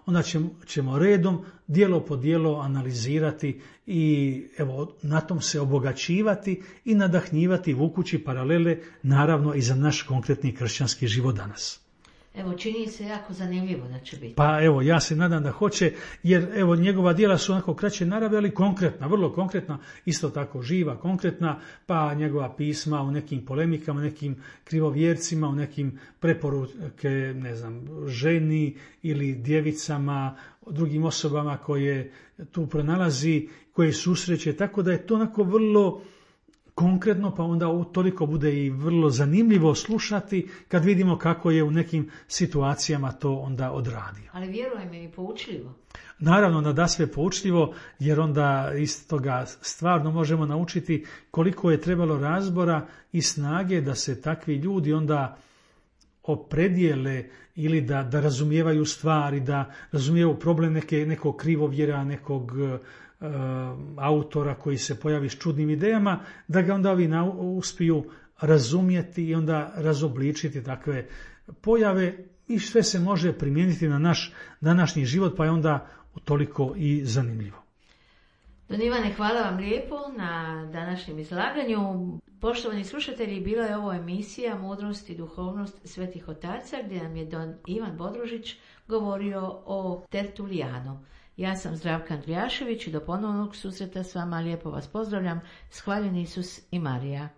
onda ćemo redom djelo po djelo analizirati i na tom se obogaćivati i nadahnjivati, vukući paralele naravno i za naš konkretni kršćanski život danas. Čini se jako zanimljivo da će biti. Pa ja se nadam da hoće, jer njegova djela su onako kraće narave, ali konkretna, vrlo konkretna, isto tako živa, konkretna, pa njegova pisma u nekim polemikama, nekim krivovjercima, u nekim preporuke, ženi ili djevicama, drugim osobama koje tu pronalazi, koje susreće, tako da je to onako vrlo konkretno, pa onda toliko bude i vrlo zanimljivo slušati kad vidimo kako je u nekim situacijama to onda odradio. Ali vjerujem i poučljivo. Naravno da sve poučljivo, jer onda iz toga stvarno možemo naučiti koliko je trebalo razbora i snage da se takvi ljudi onda opredijele ili da razumijevaju stvari, da razumijevaju problem nekog krivovjera, nekog autora koji se pojavi s čudnim idejama, da ga onda ovi uspiju razumjeti i onda razobličiti takve pojave i sve se može primijeniti na naš današnji život, pa je onda toliko i zanimljivo. Don Ivane, hvala vam lijepo na današnjem izlaganju. Poštovani slušatelji, bila je ovo emisija Mudrost i duhovnost svetih otaca, gdje nam je Don Ivan Bodružić govorio o Tertulijanu. Ja sam Zdravka Andrijašević i do ponovnog susreta s vama lijepo vas pozdravljam. Hvaljen Isus i Marija.